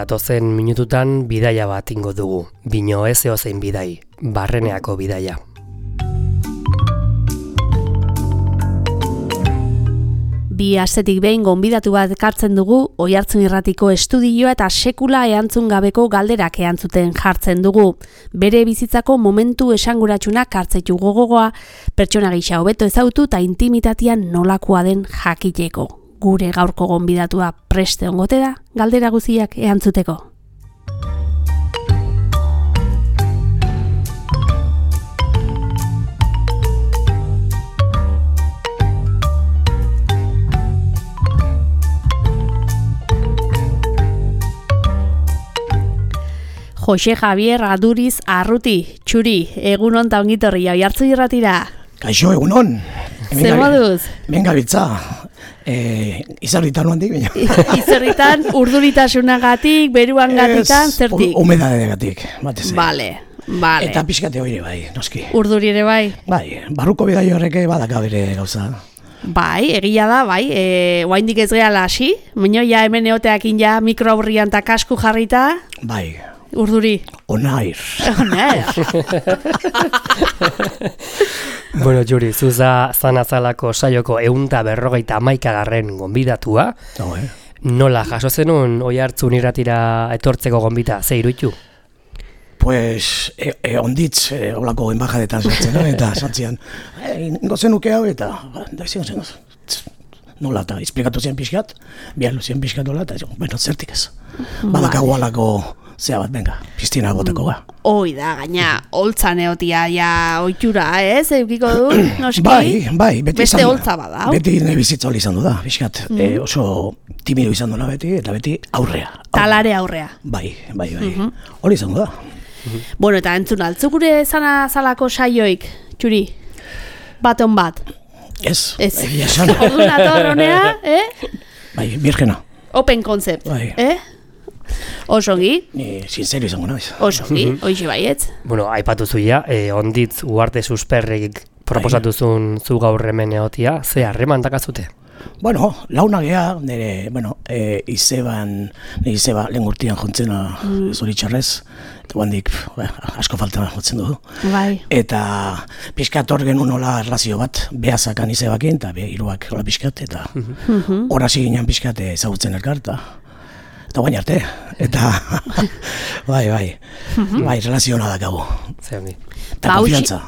datozen minututan bidaia bat ingo dugu. Bino ez eozein bidai, Barreneako bidaia. Bi astetik behin gonbidatu bat ekartzen dugu, Oihartzun Irratiko estudioa eta sekula erantzun gabeko galderak erantzuten jartzen dugu. Bere bizitzako momentu esanguratsunak hartzaitu gogoa, pertsona gisa hobeto ezautu eta intimitatean nolakoa den jakiteko. Gure gaurko gonbidatua preste ongote da, galdera guztiak erantzuteko. Jose Javier Aduriz Arruti, txuri, egunon ta ongitorri Oihartzun Irratira. Kaixo, egunon. Zer moduz? Venga, bitza. Izerritan handik, baina. Izerritan, urduritasunagatik, beruangatikan, zertik? Humedadegatik, batez. Vale. Eta pixkate hori bai, noski. Urduri ere bai? Bai, barruko bidai horreke badaka bere gauza. Bai, egia da, bai, oaindik ez gehala hasi, baina ja hemen eoteakin ja mikroaurrian eta kasku jarrita. Bai. Urduri. Onair. Bueno, Juri, zuza zanazalako saioko 151. Gonbidatua. Nola jaso zenun Oihartzun Irratira etortzeko gonbita, ze iruditu? Pues, onditz, olako enbajadetan sartzen, eta sartzean, ingo zenuke hau, eta, nola, eta esplikatu zian pixkat, bihalu zian pixkat nola, eta, bueno, zertik ez. Badakago alako zea bat, venga, piztina goteko ga. Hoi da, gaina, holtzan eotia, ja, oitura, ez, eukiko du, noski? Bai, beti beste holtza bada. Beti ne bizitza hori izan du da, pixkat, oso timido izan duela beti, eta beti aurrea. Talare aurrea. Bai, hori izan du da. Bueno, eta entzun altzu gure zalako saioik, txuri, baton bat. Ez. Orduan ator honea, Bai, virgena. Open concept, bai. Osongi? Ni sincero izango naiz. Osongi, hoixe baietz. Bueno, aipatu zuia, onditz Uarte Susperrik proposatuzun zu gaur hemen egotia, ze harreman dakazute? Bueno, launa gea, nire, Izeba lehen urtean jontzena zoritxarrez, eta handik asko falta jotzen du. Bai. Eta pixkat hor genuen nola erlazio bat, behazakan Izebakin, eta hiruak hola pixkat, eta horazi ginen pixkat ezagutzen elkar, eta guain arte, eta bai, relaziona dakagu. Zeongi. Eta konfiantza.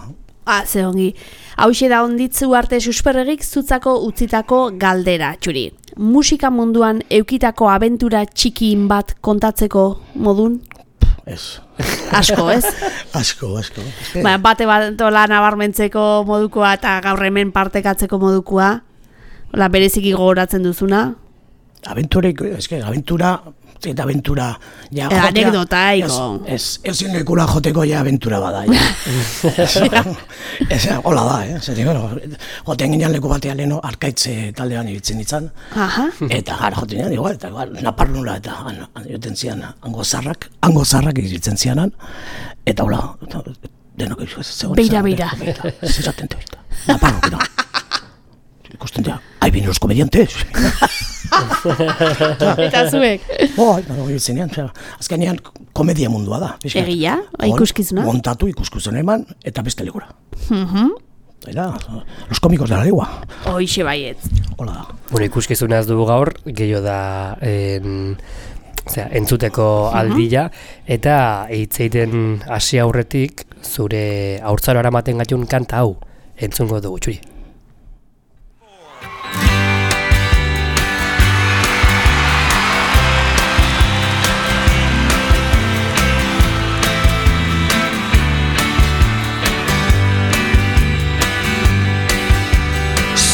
Zeongi. Hauxe da onditzu Uarte Susperregik zutzako utzitako galdera, txuri. Musika munduan eukitako abentura txikin bat kontatzeko modun? Ez. Asko, ez? Asko. Bate bat nabarmentzeko modukoa eta gaur hemen partekatzeko modukoa? Bereziki gogoratzen duzuna? Aventura, eta aventura ja anekdota iko. Ez lekura joteko ja aventura bada. Hola da, joten ginean leku batean leheno arkaitze taldean ibiltzen ditzan. Eta gara joten ginean, igual, eta naparnula eta joten zian hango zarrak ibiltzen zianan. Eta hola, denok zegoen. Beira. Zeratente baita. Naparnuk, ikusten dira, haibin los komediantes. Eta zuek? Azkenean komedia mundua da. Egia? Ikuskizuna? Montatu ikuskizuna eman eta beste lekura. Eta, los komikos de la legua. Hoixe baietz. Hola da. Bueno, ikuskizuna ez dugu gaur, gehiago da entzuteko aldila, eta hitzeiten hasi aurretik zure haurtzaro aramaten gatun kanta hau entzungo dugu, txuri.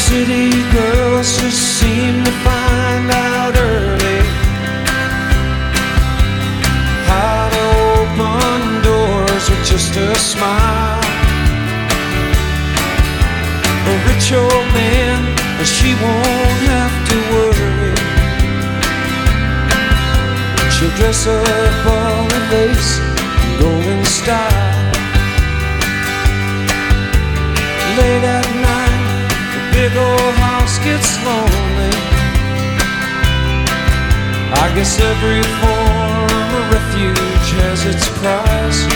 City girls just seem to find out early how to open doors with just a smile. A rich old man, she won't have to worry. She'll dress up all in lace and go in style. Late at night, big old house gets lonely. I guess every form as its prize,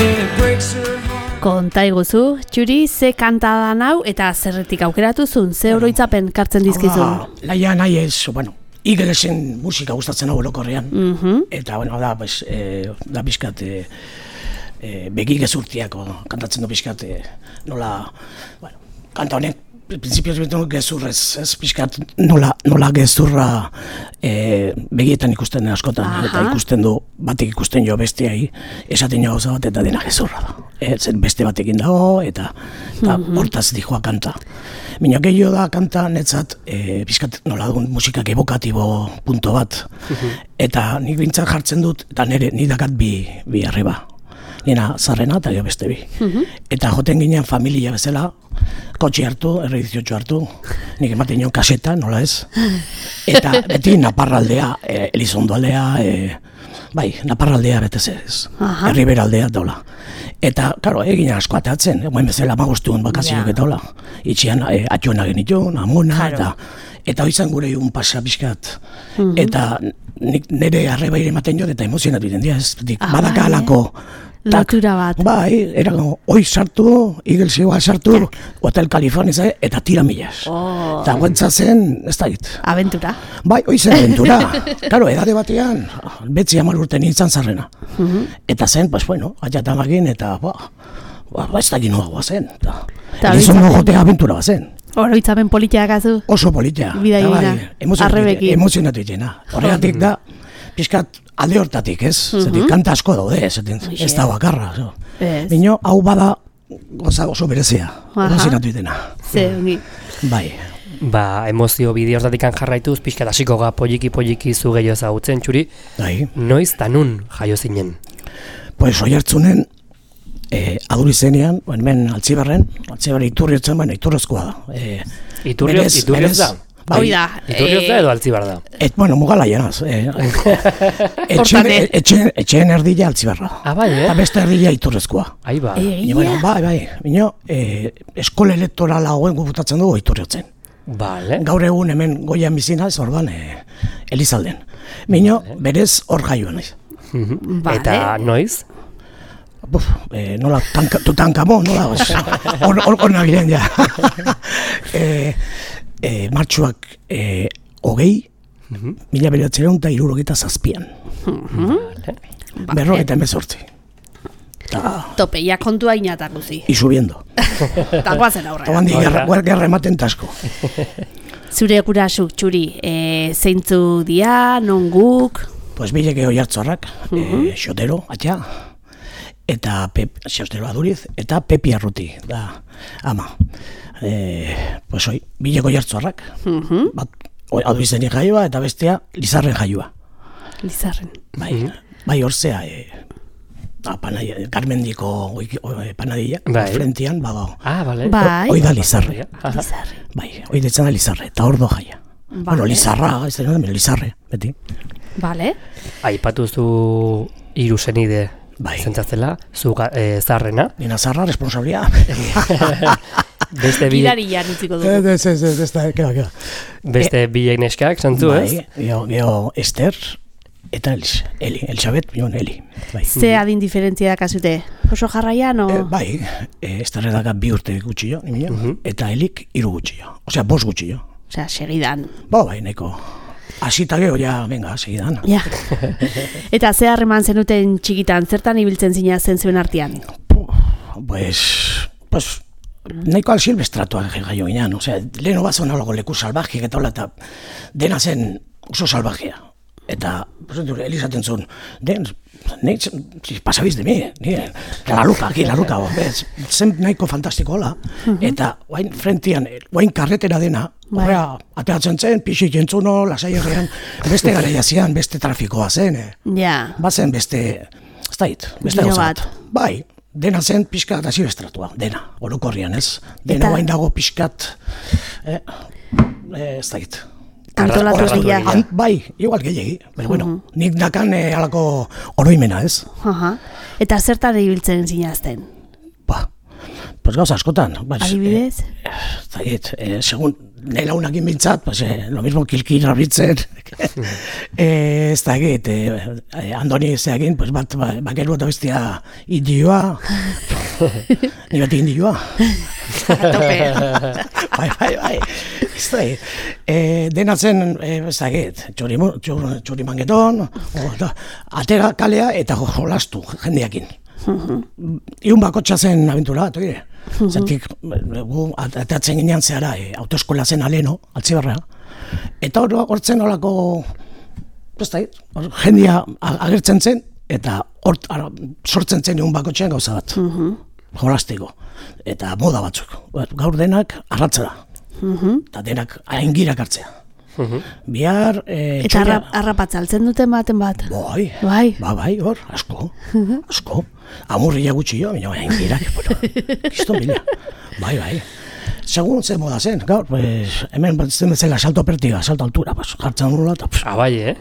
and it breaks her heart. Konta iguzu, Txuri, ze kanta da hau eta zerretik aukeratu zuen, ze oroitzapen kartzen dizkizun? Laia nahi ez, bueno, Eaglesen musika gustatzen hau orokorrean. Eta, bueno, da, pues, da pixkat, begi gezurtiako kantatzen du pixkat, nola, bueno, kanta honek, prinsipioz betu gezurrez, ez pixkat nola gezurra begietan ikusten den askotan, eta ikusten du, batek ikusten jo besteai, esaten jo gauza bat eta dena gezurra da. Zen beste batekin dago, eta hortaz dijoa kanta. Baina gehiago da kanta netzat, pixkat nola dugun musikak evokatibo punto bat, eta nik bintzat jartzen dut, eta ni dakat bi arriba. Nina zarrena eta gero beste bi. Eta joten ginen familia bezala, kotxe hartu, erre 18 hartu, nik ematen nion kaseta, nola ez? Eta beti naparraldea, Elizondo aldea, bai, naparraldea betez ez, herribera aldea dola. Eta, karo, egin asko atatzen, guen bezala magostuen bakazioak eta hola. Itxian, atxona genitun, amona, eta hoizan gure un pasa pixkat. Eta nire arreba ere ematen jo, eta emozionatu iten dira, ez, badaka alako. Lotura bat. Bai, erago, hoi sartu, Eaglesegoa sartu, Hotel California, eta tira millas. Eta guentza zen, ez da hit. Aventura. Bai, hoi zen aventura. Karo, edade batean, betzi 10 urte nintzen zarrena. Eta zen, pues bueno, atxatamagin, eta ez da ginoa guazen. Elizon jotea aventura bazen. Oroitzapen politia gazu? Oso politia. Bidaina, arrebekin. Emozionatu itena. Horregatik da, pixkat alde hortatik, ez? Zetik, kanta asko daude, ez da bakarra. Bino, hau bada oso berezia, emozionatu itena. Ze, ongi. Bai. Ba, emozio bide hortatik jarraituz, pixkat hasiko ga poliki zu gehiago ezagutzen, Txuri. Bai. Noiz eta nun jaio zinen? Pues Oiartzunen, aduri zenean, hemen Altzibarren Iturriotzen, bueno, Iturrezkoa da. Iturrioz da? Hoi da. Iturrioz da edo Altzibar da? Bueno, mugala janaz. Etxeen erdila Altzibarra. Bai, eta beste erdila Iturrezkoa. Bai. Bino, eskola elektorala hauen guputatzen dugu Iturriotzen. Gaur egun hemen goian bizinaz, orban, Elizalden. Bino, berez hor jaioan naiz. Eta noiz? Nola, Tutankamo, nola, hor nabilen ja. Martxuak 1967an. Berrogeita 18. Tope, ja kontua inatak guzi. Y subiendo. Eta guazen aurrera. Handi gerra ematen tasko. Zure gurasuk, Txuri, zeintzu dia, non guk? Pues bileke Oiartzarrak, Xotero, atxa, eta Xotero Aduriz, eta Pepi Arruti, da, ama. Pues hoi, bileko Oiartzarrak, Adurizen jaioa, eta bestea Lizarren jaioa. Lizarren. Bai, horzea, Carmendiko panadilla, frentian, bago. Hoi da Lizarre. Bai, hoi detzen da Lizarre, eta hor do jaia. Bueno, Lizarra, ez da Lizarre, beti. Bale. Aipatuzu hiru senide zentzazela, zu zarrena. Nina zarra, responsabilia. Gidarian utziko dugu. Beste bi neskak, zantzu, ez? Geho Ester eta Elisabet, bion Eli. Ze adin diferentzia dakazute? Oso jarraian, o? Bai, Esterre daka 2 urte gutxillo, eta Elik 3 gutxillo. Osea, 5 gutxillo. Osea, segidan. Bai, neko. Asita geho, ja, venga, segidan. Ja. Eta ze harreman zenuten txikitan, zertan ibiltzen zina zen zuen artean? Pues, nahiko silvestratua jaio ginean. Osea, leheno bat zuen alago leku salvajiek eta hola, eta dena zen oso salvajea. Eta, elizaten zuen, pasabiz de mi, la luka, zen nahiko fantastiko hola, eta guain frentian, guain karretera dena, horrea, ateatzen zen, pixik jentzuno, lasai herrean, beste garaia zian, beste trafikoa zen, bazen beste, ez dait, beste gauzat. Bai, dena zen pixkat asibestratua, dena, orokorrian ez, dena guain dago pixkat, ez dait. Antolatu egia. Bai, igual gehiagi, pero bueno, nik dakan alako oroimena, ez? Eta zertan ibiltzen zinazten? Pues gauza askotan. Adibidez? Zagit, segun nela unakin bintzat, pues, lo mismo kilkira bitzen, ez da egit, Andoni ez da egin, pues, bat bakeru eta bestia indioa, ni bat indioa. Bai, ez da egit. Dena zen, ez da egit, txurimangeton, atera kalea eta jolastu jendeakin. Iun bakotxa zen abentura bat, oire. Zentik, gu atatzen ginean zehara, autoeskola zen aleno, Altzibarra. Eta hortzen olako, jendia agertzen zen, eta sortzen zen iun bakotxean gauza bat. Jolastiko. Eta moda batzuk. Gaur denak arratzera. Eta denak aingirak hartzea. Bihar... Eta harrapatzaltzen duten baten bat? Bai, hor, asko. Amurria gutxi jo, baina aingirak, kiston bila. Bai. Segun zen moda zen, gaur, hemen zen bezala salto pertiga, salto altura, jartzen nula, eta... Bai,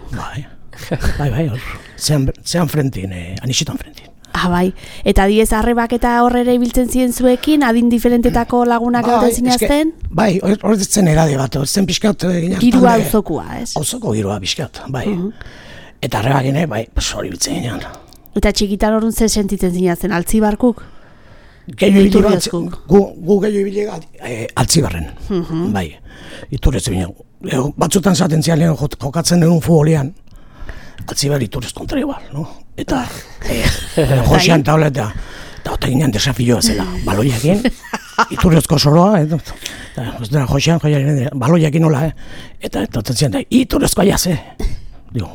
Bai, hor, zean frentin, anixitan frentin. Bai, eta diez arrebak eta horrere ibiltzen ziren zuekin, adin diferentetako lagunak gauten zinazten? Bai, hor zen edade bat, hor zen pixkat... Girua auzokua, ez? Auzoko girua pixkat, bai. Eta arrebak gine, bai, hori biltzen ginean. Eta txikitan horren zer sentitzen zinazten, Altzibarkuk? Gu gehiago ibilega Altzibarren, bai. Iturrez bine, batzutan zaten zian jokatzen denun futbolean, Altzibar iturrez kontra igual, no? Eta Josean taula eta eta ginean desafioa zela, baloiakin, iturrezko soroa, eta Josean baloiakin nola, eta zian da, iturrezko aiaz, digo,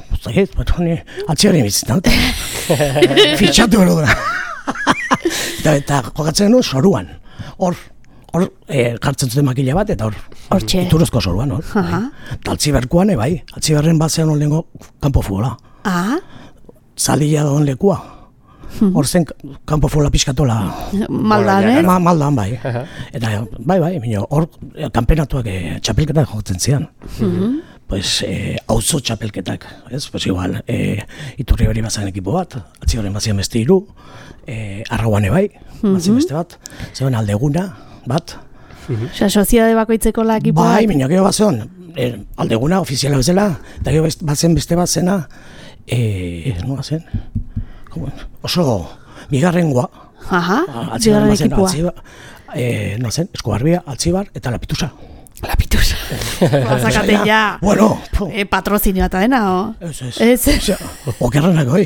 Altzibarren bizitzen, fitxatu bero da. Eta jokatzen denun soruan, hor jartzen zuten makila bat, eta hor iturrezko soruan, hor. Eta Altzibarkoan, bai, Altzibarren bat zean horrengo kanpo futbola. Zalila dagoen lekua. Hor zen kanpo futbola pixkatola. Maldan, Maldan, bai. Eta, bai, hor kanpenatuak txapelketak jokatzen zian. Pues, auzo txapelketak, ez? Pues igual, Iturri hori bazan ekipo bat, Altzibarren bazian beste hiru, Arrauane bai, bazian beste bat, zegoen Aldeguna bat. Osa, soziade bakoitzeko la ekipo bat? Bai, minio gero bat zegoen, Aldeguna ofiziala bezala, eta gero bazen beste bat zena, nola zen? Oso, bigarrengoa. Bigarren ekipoa. Nola zen, Eskubarbia, Altzibar eta Lapitusa. Lapitusa. Bazakaten ja. Bueno. Patrozinio eta dena, o? Ez. Okerrenak hoi.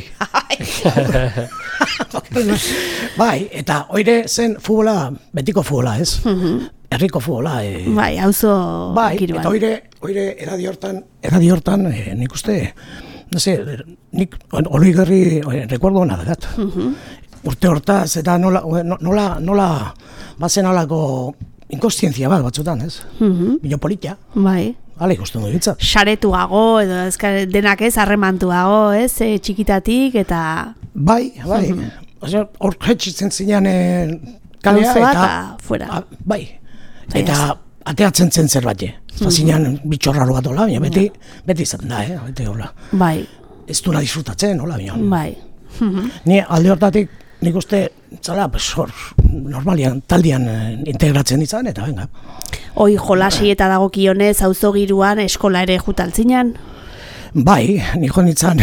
Bai, eta oire zen futbola, betiko futbola, ez? Herriko futbola. Bai, auzo kiruan. Bai, eta oire edadi hortan, nik uste, no sé, nik hori garri, recuerdo hona dagat. Urte hortaz, eta nola, bazen alako inkostientzia bat batzutan, ez? Bino politia. Bai. Hala ikusten du ditzat. Saretuago, edo denak ez, harremantuago, ez? Txikitatik, eta... Bai. Hor jetxitzen zinean kalea, eta... fuera. Bai. Eta ateatzen zen zerbait. Zinean bitxorraro bat hola, beti izaten da, beti hola. Bai. Ez duna disfrutatzen, hola, bino. Bai. Ni alde hortatik, nik uste, zala, hor, normalian, taldean integratzen izan, eta venga. Hoi jolasi eta dagokionez auzogiruan eskola ere jutaltzinan? Bai, nik honitzan,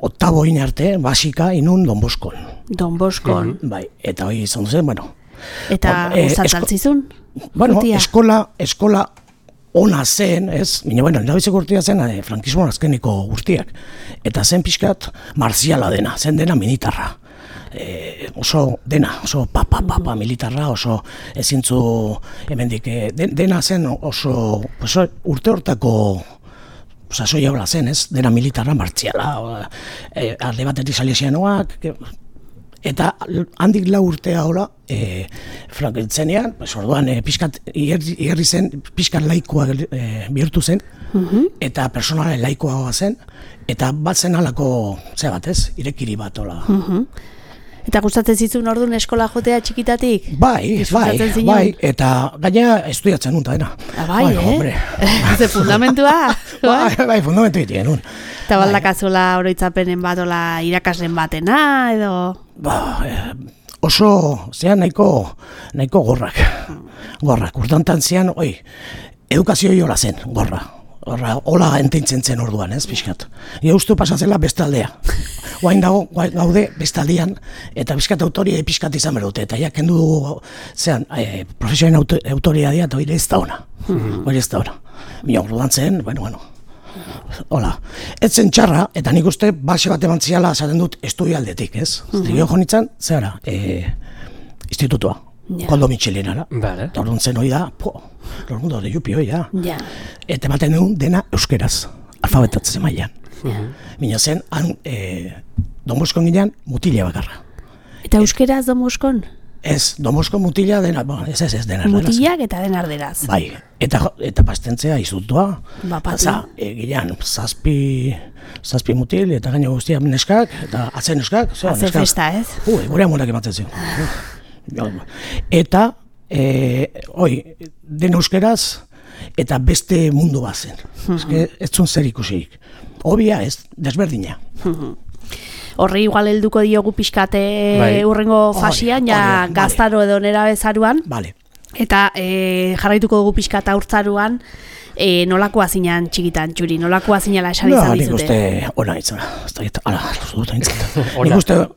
oktabo arte, basika, inun Don Boskon. Don Boskon. Bai, eta hoi izan duzen, bueno. Eta gustatzaltzizun? Bueno, eskola ona zen, ez? Baina, bueno, nabizeko urtia zen, frankismoan azkeniko guztiak. Eta zen pixkat marziala dena, zen dena militarra. Oso dena, oso papa militarra, oso ezintzu hemendik, dena zen oso urte hortako sasoia hola zen, ez? Dena militarra martziala, alde batetik salesianoak, eta handik 4 urtea hola, frankentzenean, orduan pixkat igerri zen, pixkat laikoa bihurtu zen, eta personala laikoa zen, eta bat zen alako, zea bat ez, irekiri bat hola. Eta gustatzen zizun orduan eskola jotea txikitatik? Bai, eta gaina estudiatzen nun, eta dena. Bai, Ze fundamentua? Bai, fundamentu egiten nun. Eta baldakazuela oroitzapenen bat, irakaslen batena, edo... Oso, zean nahiko gorrak. gorrak. Urdantan zian, edukazio jola zen, gorra. Hola entintzen zen orduan, ez, pixkat. Ustu pasatzela bestaldea. Oain gaude bestaldean, eta pixkat autoria pixkat izan berute. Eta ja, kendu dugu, profesioen autoria dia, eta hori ez da ona. Hori ez da ona. Mina orduan zen, bueno. Hola. Ez zen txarra, eta nik uste base bat eman ziala esaten dut estudialdetik, ez? Zigio jonitzen, zehara, institutua. Koldo Michelinara. Eta orduan zen hori da, lormundo de jupi hori da. Eta ematen dugun dena euskeraz, alfabetatzen mailan. Mina zen, Don Boskon ginean, mutila bakarra. Eta euskeraz Don Boskon? Ez, Don Boskon mutila dena, ez dena. Mutilak eta dena arderaz. Bai, eta pastentzea izutua. Ginean, zazpi mutil, eta gaino guztia neskak, eta atzen neskak. Atze festa, ez? Gure amurak ematen zion. Eta, den euskeraz, eta beste mundu bat zen. Ez zun zer ikusik. Obia ez, desberdina. Horri igual helduko diogu pixkate urrengo fasian, ja gaztaro edo nera bezaruan. Eta jarraituko dugu pixkata urtzaruan, nolakoa zinan txikitan, Txuri, nolakoa zinala esan izan dizute? Nik uste ona itzara, nik uste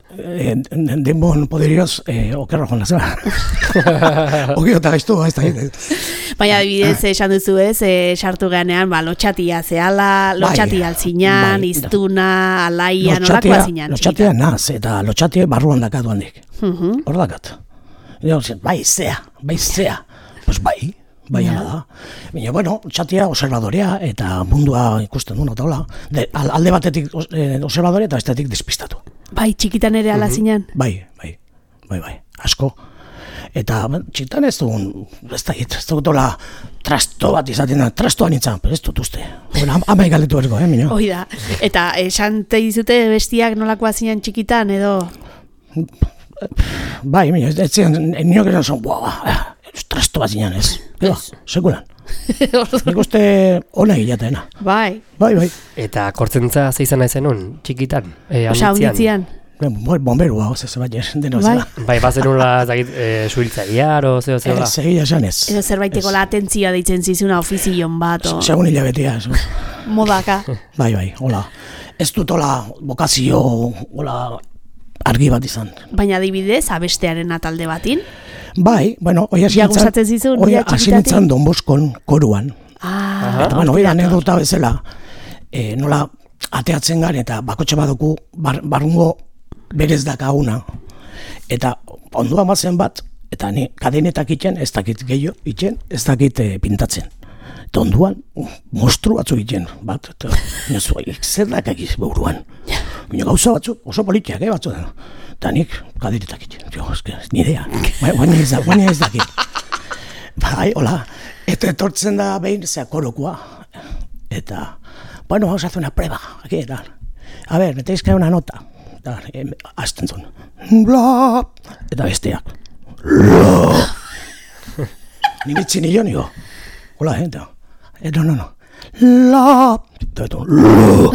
denbon poderioz okerro joan lazera. Okiota gaiztu, ez da. Baina bidez esan duzu ez, sartu geanean, lotxatia zehala, lotxatia altzinan, iztuna, alaia, nolakoa zinan txikitan? Lotxatia naz, eta lotxatia barruan dakat duandik. Hor dakat. Bai zea, pues bai ala da. Baina, bueno, txatia observadorea eta mundua ikusten duen, eta hola. Alde batetik observadorea eta bestetik despistatu. Bai, txikitan ere ala zinan? Bai, asko. Eta txikitan ez dugun, ez dut hola trasto bat izaten da, trastoan nintzen, ez dut uste. Ama igaletu ergo, minio? Hoi da, eta esan te dizute bestiak nolakoa zinan txikitan, edo? Bai, minio, ez zian, nioak esan zon, trasto bat zinan ez. Sekulan. Nik uste ona gilatena. Bai. Eta kortzentza zeizan aizen hon, txikitan? Osa, onditzian? Bomberua, oze, zebat deno zela. Bai, bazenula suhiltzailear, o zeo zela? Segila esan ez. Edo zerbaiteko la atentzioa deitzen zizuna ofizion bat, o? Segun hilabetea, ez. Modaka. Bai, hola. Ez dut hola bokazio, hola argi bat izan. Baina adibidez, abestearen atalde batin? Bai, bueno, hoi hasi nintzen Don Boskon koruan. Eta, bueno, hoi anekdota bezala, nola ateatzen garen eta bakotxe baduku barrungo berez dakaguna. Eta onduan batzen bat, eta ni kadenetak itxen, ez dakit gehiago itxen, ez dakit pintatzen. Eta onduan, mostru batzu itxen, bat, eta zer dakakiz buruan. Gauza batzu, oso politiak, batzu da. Eta nik kadenetak itxen, ni idea, baina ez dakit. Bai, hola, eta etortzen da behin korokoa. Eta, bueno, vamos a hacer una prueba, aquí, eta, a ver, me tenéis que dar una nota. Eta, azten zuen, bla, eta besteak, bla. Nik itzin nio, nigo, hola, eta, no, la, eta, la.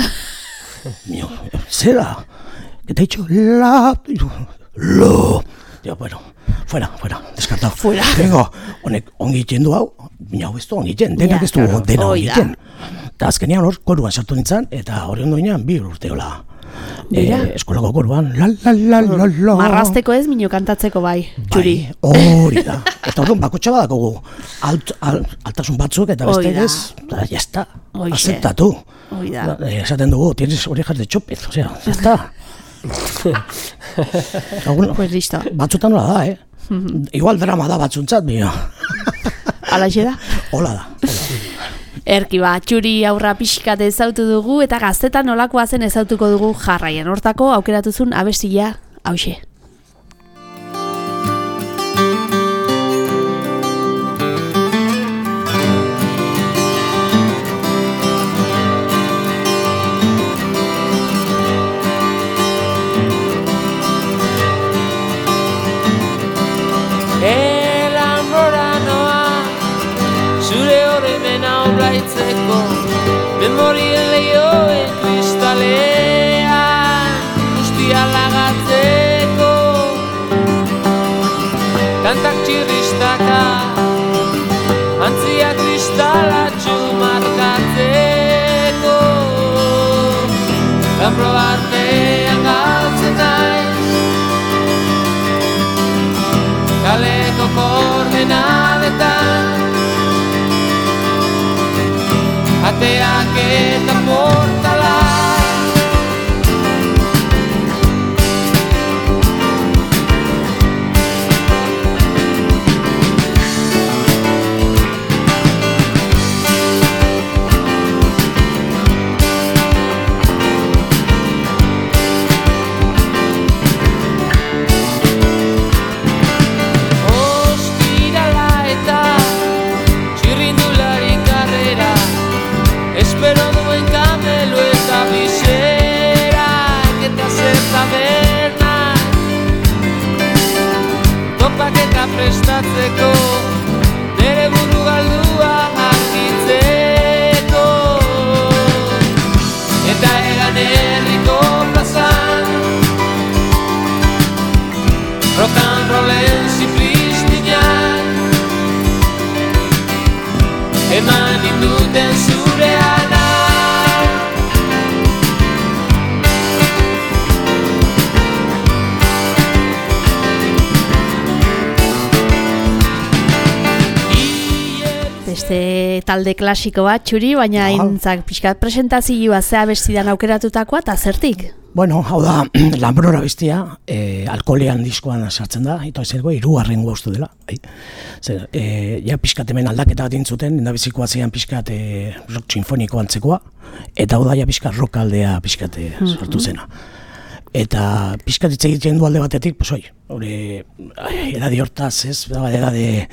Mio, zera, que te he dicho, la, lo. Digo, bueno, fuera, descartado. Fuera. Vengo, honek ongi iten du hau, bina hau ez du ongi iten, denak ez du dena ongi iten. Eta azkenean hor, koruan sartu nintzen, eta hori ondo ginean, 2 urteola. Eskolako koruan, la. Marrazteko ez, mino kantatzeko bai, Txuri. Hori da. Eta hori bakotxa badakogu, altasun batzuk, eta beste ez, eta jazta, aceptatu. Esaten dugu, tienes orejas de chopez, osea, jazta. Pues listo. Batzutan hola da, Igual drama da batzuntzat, mio. Alaxe da? Hola da. Erki Txuri aurra pixkat ezautu dugu eta gaztetan nolakoa zen ezautuko dugu jarraian. Hortako aukeratuzun abestia hauxe. Memorien lehioen kristalean guztia lagatzeko kantak txirristaka kristalatxu markatzeko. Gambro artean galtzen naiz, kaleko koordenadetan, ateak eta portalak. Espero duen kamelo eta biserak eta zer tabernak, topak eta prestatzeko, nere buru galdua argitzeko. Eta egan herriko plazan, rock and rollen zipristinak, eman induten zurean. Beste talde klasiko bat, Txuri, baina intzak pixkat presentazioa zea bestidan aukeratutakoa, eta zertik? Bueno, hau da, Lambrora bestia, alkoholean diskoan sartzen da, eta ez ergo, 3. ustu dela. Ja pixkat hemen aldaketa bat intzuten, endabizikoa zean pixkat rock sinfoniko antzekoa, eta hau da, ja pixkat rock aldea pixkat sortu zena. Eta pixkat hitz egiten du alde batetik, pues hori, edadi hortaz, ez, edade...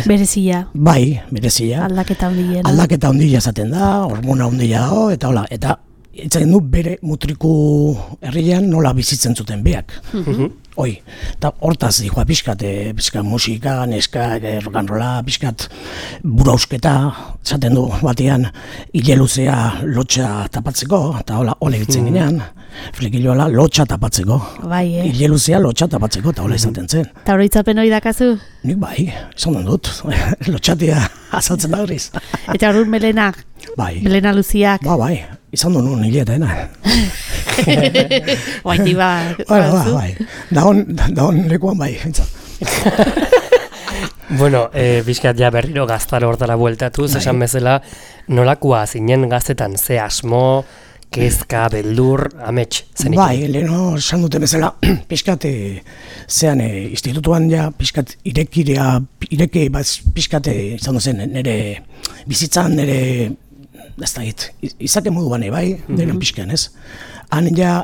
Berezia. Bai, berezia. Aldaketa ondila. Aldaketa ondila zaten da, hormona ondila dago, eta hola, eta hitz egin du bere mutriku herrian nola bizitzen zuten beak. Hoi, eta hortaz dihoa pixkat musika, neska, rock and rolla, pixkat burausketa, zaten du batean hile luzea lotxa tapatzeko, eta hola egitzen ginean, flekiloala lotxa tapatzeko. Bai, hile luzea lotxa tapatzeko, eta hola izaten zen. Eta oroitzapen hori dakazu? Nik bai, izan dut, lotxatia azaltzen da horiz. Eta hori melena? Bai. Melena luziak? Bai, izan du nun hiletaena. Baiti bai. Da hon lekuan bai, Bueno, bizkat ja berriro gaztaro hortara bueltatu, esan bezala, nolakoa zinen gaztetan, ze asmo, kezka, beldur, amets, zenik? Bai, leheno esan dute bezala, pixkat, zean, institutuan ja, pixkat, ireke, pixkat, izan duzen, nire bizitzan, nire, ez da hit, izake moduan, bai, denen pixkan, ez? Han ja,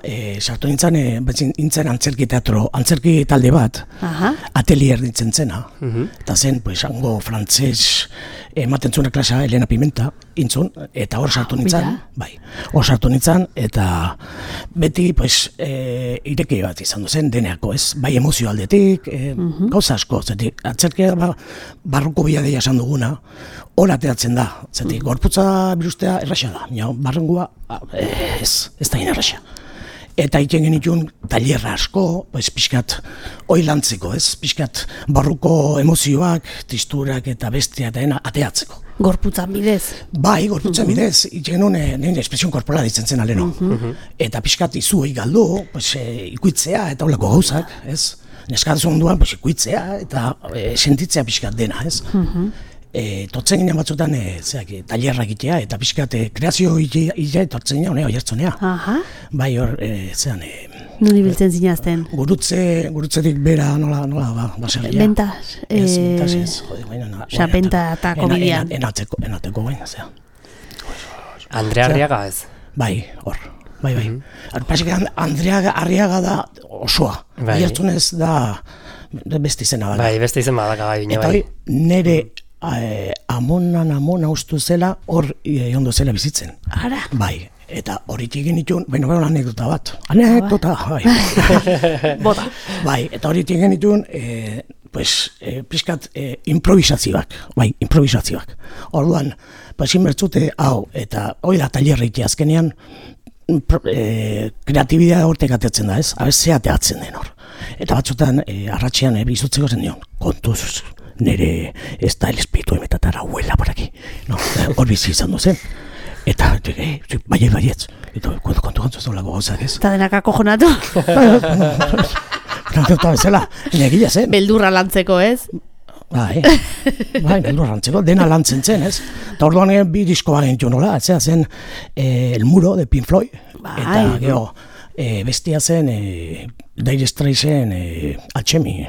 sartu nintzen antzerki teatro, antzerki talde bat, atelier ditzen zena, eta zen, pues, hango frantzes ematen zuen klasa Elena Pimenta, intzun, eta hor sartu nintzen, bai, hor sartu nintzen, eta beti, pues, ireki bat izan duzen, deneako, ez, bai emozio aldetik, gauza asko, zetik, antzerkia barruko biadea esan duguna, hor ateatzen da, zetik, gorputza birustea erraxa da, barrengua, ez da inerraxa. Eta iten genitun talerra asko, pixkat hoi lantzeko, pixkat barruko emozioak, tristurak eta bestia eta ateatzeko. Gorputzan bidez? Bai, gorputzan bidez, iten genuen espresion korporal ditzen zen aleno. Eta pixkat izu hoi galdu, ikuitzea eta holako gauzak, neskatzu onduan ikuitzea eta sentitzea pixkat dena, Tortzen ginen batzutan talerra egitea eta pixkat kreazio egitea tortzen ginen oiartzonea. Bai hor, zean... Nuni biltzen zinazten? Gurutzetik bera nola baserria. Bentas? Bentas ez, jode, benta eta komidian. Enateko baina, zean. Andrea Arriaga ez? Bai, hor. Bai. Pasik Andrea Arriaga da osoa. Oiartzunez da beste izena bada. Bai, beste izen badaka bai. Eta hori, nere amona ustu zela, hor ondo zela bizitzen. Ara? Bai, eta horitik genitun, baina anekdota bat. Anekdota, bai. Bota. Bai, eta horitik genitun, pixkat improvisazioak, Orduan, inbertzute hau, eta hori da talerreitea azkenean, kreatibidea hortek atetzen da, ez? Abez, zeateatzen den hor. Eta batzutan, arratxean bizutzeko zen dion, kontuz, nire ez da el espiritu emetatara huela por aquí. No, hor bizi izan duzen. Eta, baietz. Eta, kontu gantzu ez dolako gauzak ez. Eta denak akojonatu. Eta bezala, negila zen. Beldurra lantzeko, ez? Bai, beldurra lantzeko, dena lantzen zen, ez? Eta orduan bi disko bagentu nola, etzea zen El Muro de Pink Floyd. Eta, gero, bestia zen Dire Straitsen Alchemy.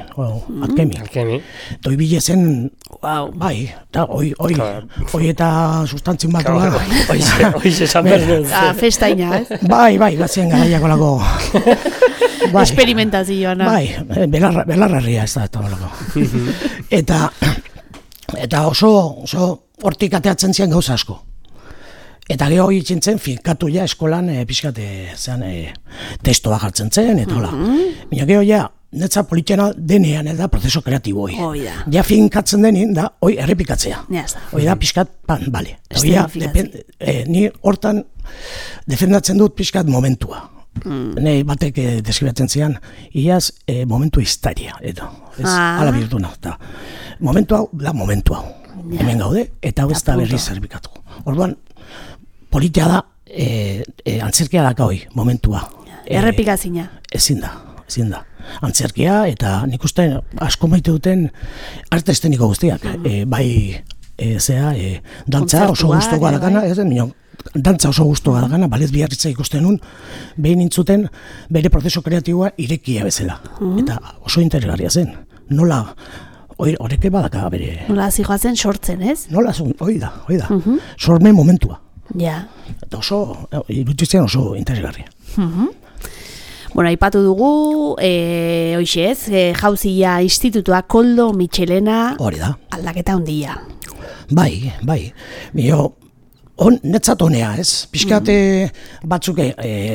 Toi bile zen, bai, eta hoi eta sustantzin bat dola. Hoiz esan behar. Festaina, ez? Bai, batzen garaiako lako. Experimentazioa. Bai, belarrarria ez da eta lako. Eta oso hortik ateatzen zian gauza asko. Eta geho itxintzen finkatu ja eskolan pixkate zean testoa jartzen zen, eta hola. Baina geho ja, netza politxena denean, da prozeso kreatibo hoi. Ja finkatzen denin, da, hoi errepikatzea. Hoi da pixkat, bale. Ni hortan defendatzen dut pixkat momentua. Nei batek deskribatzen zian, iaz momentu histaria, edo. Hala birtu nahi. Momentu hau, da momentu hau. Hemen gaude, eta hau ez da berriz errepikatu. Orduan, politia da, antzerkia daka hoi, momentua. Errepikazina. Ezin da. Antzerkia, eta nik uste asko maite duten arte esteniko guztiak. Dantza oso guztoa dakana, dantza oso guztoa dakana, balez biarritza ikusten nun, behin intzuten bere prozeso kreatiboa irekia bezala. Eta oso interesgarria zen. Nola, horreke badaka bere... Nola zijoazen sortzen, ez? Nola, hoi da. Sormen momentua. Ja. Eta irutitzen oso interesgarria. Bueno, aipatu dugu, hoixez, Jauzia Institutua Koldo Mitxelena aldaketa handia. Bai. Netzat honea, ez? Piskat batzuk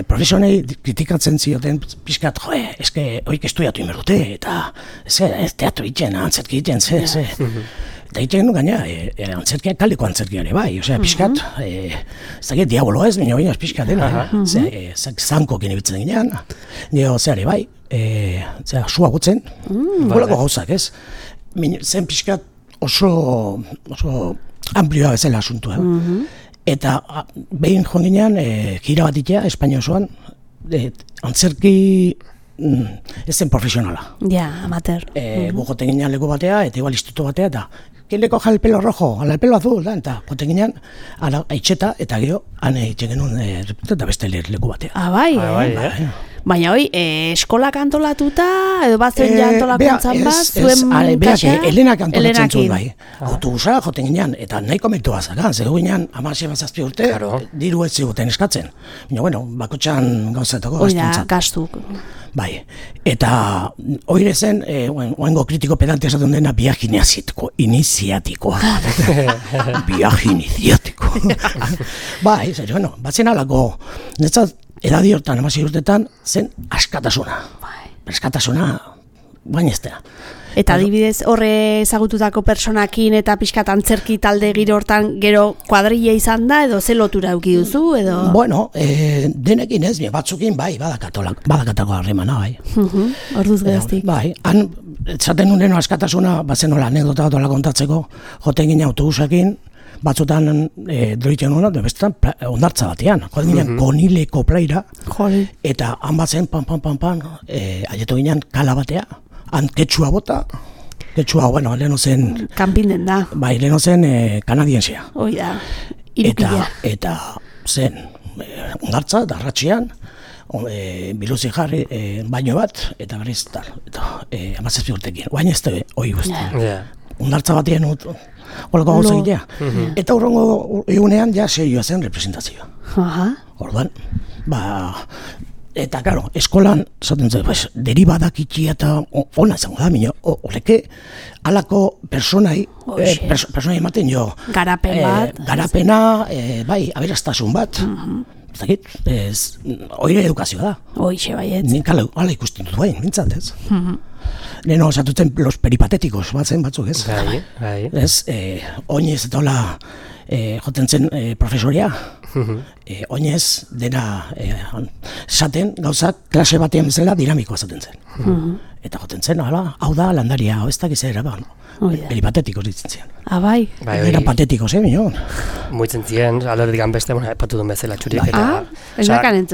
profesionei kritikatzen zioten, piskat, eske hoik estudiatu inberdute, eta ez teatro itxen, antzerki itxen, ze. Eta itxen gaina, antzerkia, kaldeko antzerkiare, bai, osea, piskat, ez dakit diabolo ez, baina piskat dena, zanko kinibitzen ginean, nio zeare, bai, sua gutzen, golako gauzak, ez? Zen piskat oso amplioa bezala asuntua, eta behin joan ginean, gira bat itea, Espainia osoan, antzerki ez zen profesionala. Ja, amateur. Gogoten ginean leku batea, eta igual instituto batea, eta ¿quién le coja el pelo rojo? Al pelo azul, da, eta joten ginean, aitxeta, eta gero, han eitzen genuen, eta beste leku batea. Bai. Baina hoi, eskolak antolatuta, edo bat zuen ja antolakuntzan bat, zuen kaxa? Helenak antolatzen zuen bai. Autobusa joten ginean, eta nahiko meritu bazakan, zego ginean, 16 urte, diru ez ziguten eskatzen. Baina, bueno, bakotxan gauzatako gastuntzat. Gastuk. Bai, eta oire zen, oengo kritiko pedante esaten dena, viaje iniziatikoa. Viaje iniziatikoa. Bai, bueno, batzen alako, netzat, edadi hortan, 16 urtetan, zen askatasuna. Askatasuna, baina ez da. Eta adibidez horre ezagututako personakin eta pixkat antzerki talde giro hortan gero kuadrilla izan da, edo ze lotura eduki duzu, edo? Bueno, denekin ez, batzukin bai, badakatako harremana, bai. Orduz gaztik. Bai, han, zaten nuen askatasuna, bazen nola anekdota bat kontatzeko, joten ginen autobusakin, batzutan droitzen hona, bestetan ondartza batean. Joden ginen konileko plaira, eta han batzen, pan, aietu ginen kala batea, han ketxua bota, bueno, leheno zen... Kanpinden da. Bai, leheno zen kanadiensia. Hoi da, irukila. Eta zen ondartza, darratxean, biluzi jarri baino bat, eta berriz tal, eta 17 urtekin. Oain ez da, hoi guzti. Ondartza batean holako gauza egitea. Eta urrongo egunean ja serioa zen representazioa. Orduan, eta, claro, eskolan, zaten zen, deribadak itxia eta ona izango da, minio, horreke, alako personai ematen jo. Garapen bat. Garapena, bai, aberaztasun bat. Zakit, oire edukazioa da. Oixe, baiet. Nik ala ikusten dut bain, mintzat, ez? Leheno, esatuten los peripatéticos batzen batzuk, ez? Bai. Ez, oinez eta hola joten zen profesoria, oinez dena esaten gauzak klase batean bezala dinamikoa esaten zen. Eta joten zen, hau da landaria, hau ez dakiz ere, Peli patetiko ditzen zian. Bai. Era patetiko zen, mino. Muitzen ziren, alordik beste, epatu duen bezala txuriek.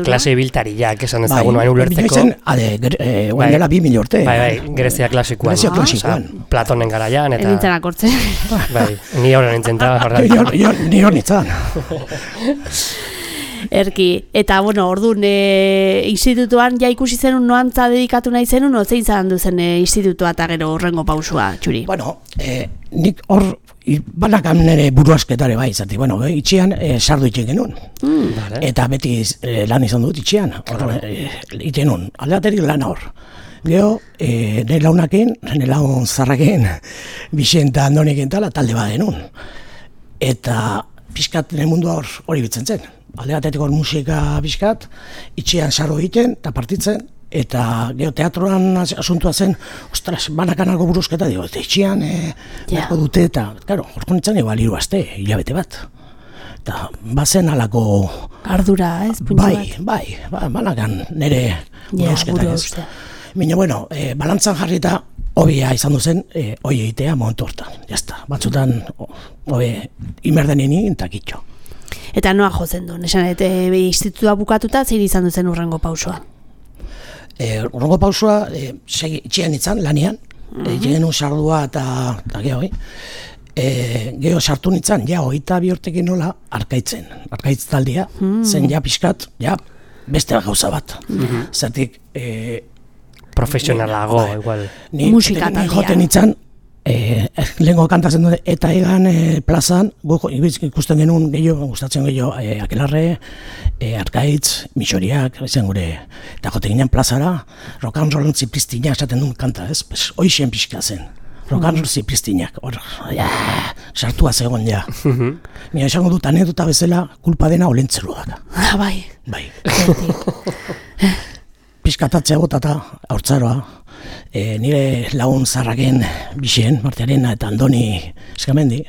Klase biltariak, esan ezagun hain ulertzeko. Oan dela 2.000 urte. Bai, Grezia klasikoan. Grezia klasikoan. Platonen garaian, eta... Nintzen akortzen. Bai, ni horren nintzen da. Ni hor nintzen. Erki, eta orduan institutuan ja ikusi zenun noantza dedikatu nahi zenun, zein zaren duzen institutua eta gero horrengo pausua, Txuri? Nik hor banakan nire buruasketare bai, zati, itxian sardu itxen genuen. Eta beti lan izan dut itxian, iten nun, aldaterik lan hor. Gero, nire launakin, nire laun zarrakin, Bixenta Andonikin tala, talde bat genuen. Eta pixkat nire mundua hori bitzen zen. Alde batetik musika pixkat, itxian sarro egiten eta partitzen, eta gero teatroan asuntua zen, ostras, banakan algo buruzketa, eta itxian beharko dute, eta, claro, horko nintzen igual 3 aste, hilabete bat. Eta bazen alako... Ardura, ez? Bai, banakan nire buruzketa, ez? Baina, balantzan jarrita, hobia izan duzen, hoi egitea momentu hortan, jazta. Batzutan, imerdenini eta kitxo. Eta noa jozen du, nesan, institutua bukatuta, zein izan duzen urrengo pausua? Urrengo pausua, itxian izan, lanian, genuen sardua eta geho, geho sartu nintzen, 22 urtekin nola, arkaitz taldia, zen pixkat, beste gauza bat. Zertik, profesionalago, igual. Musika taldia. Ni joten nintzen, lehenko kantazen dute, eta egan plazan, ikusten genuen gehiago, gustatzen gehiago, Akelarre, Arkaitz, Mixoriak, ezen gure, eta jote ginen plazara, rock and roll zipriztinak esaten duen kanta, ez? Hoixen pixka zen, rock and roll zipriztinak, hor, sartua zegoen, Mira, esango dut, anedota bezala, kulpa dena olentzeruak. Bai. Piskatatzea gotata, haurtzaroa, nire lagun zarraken Bixen, Martiarena eta Andoni Eskamendi,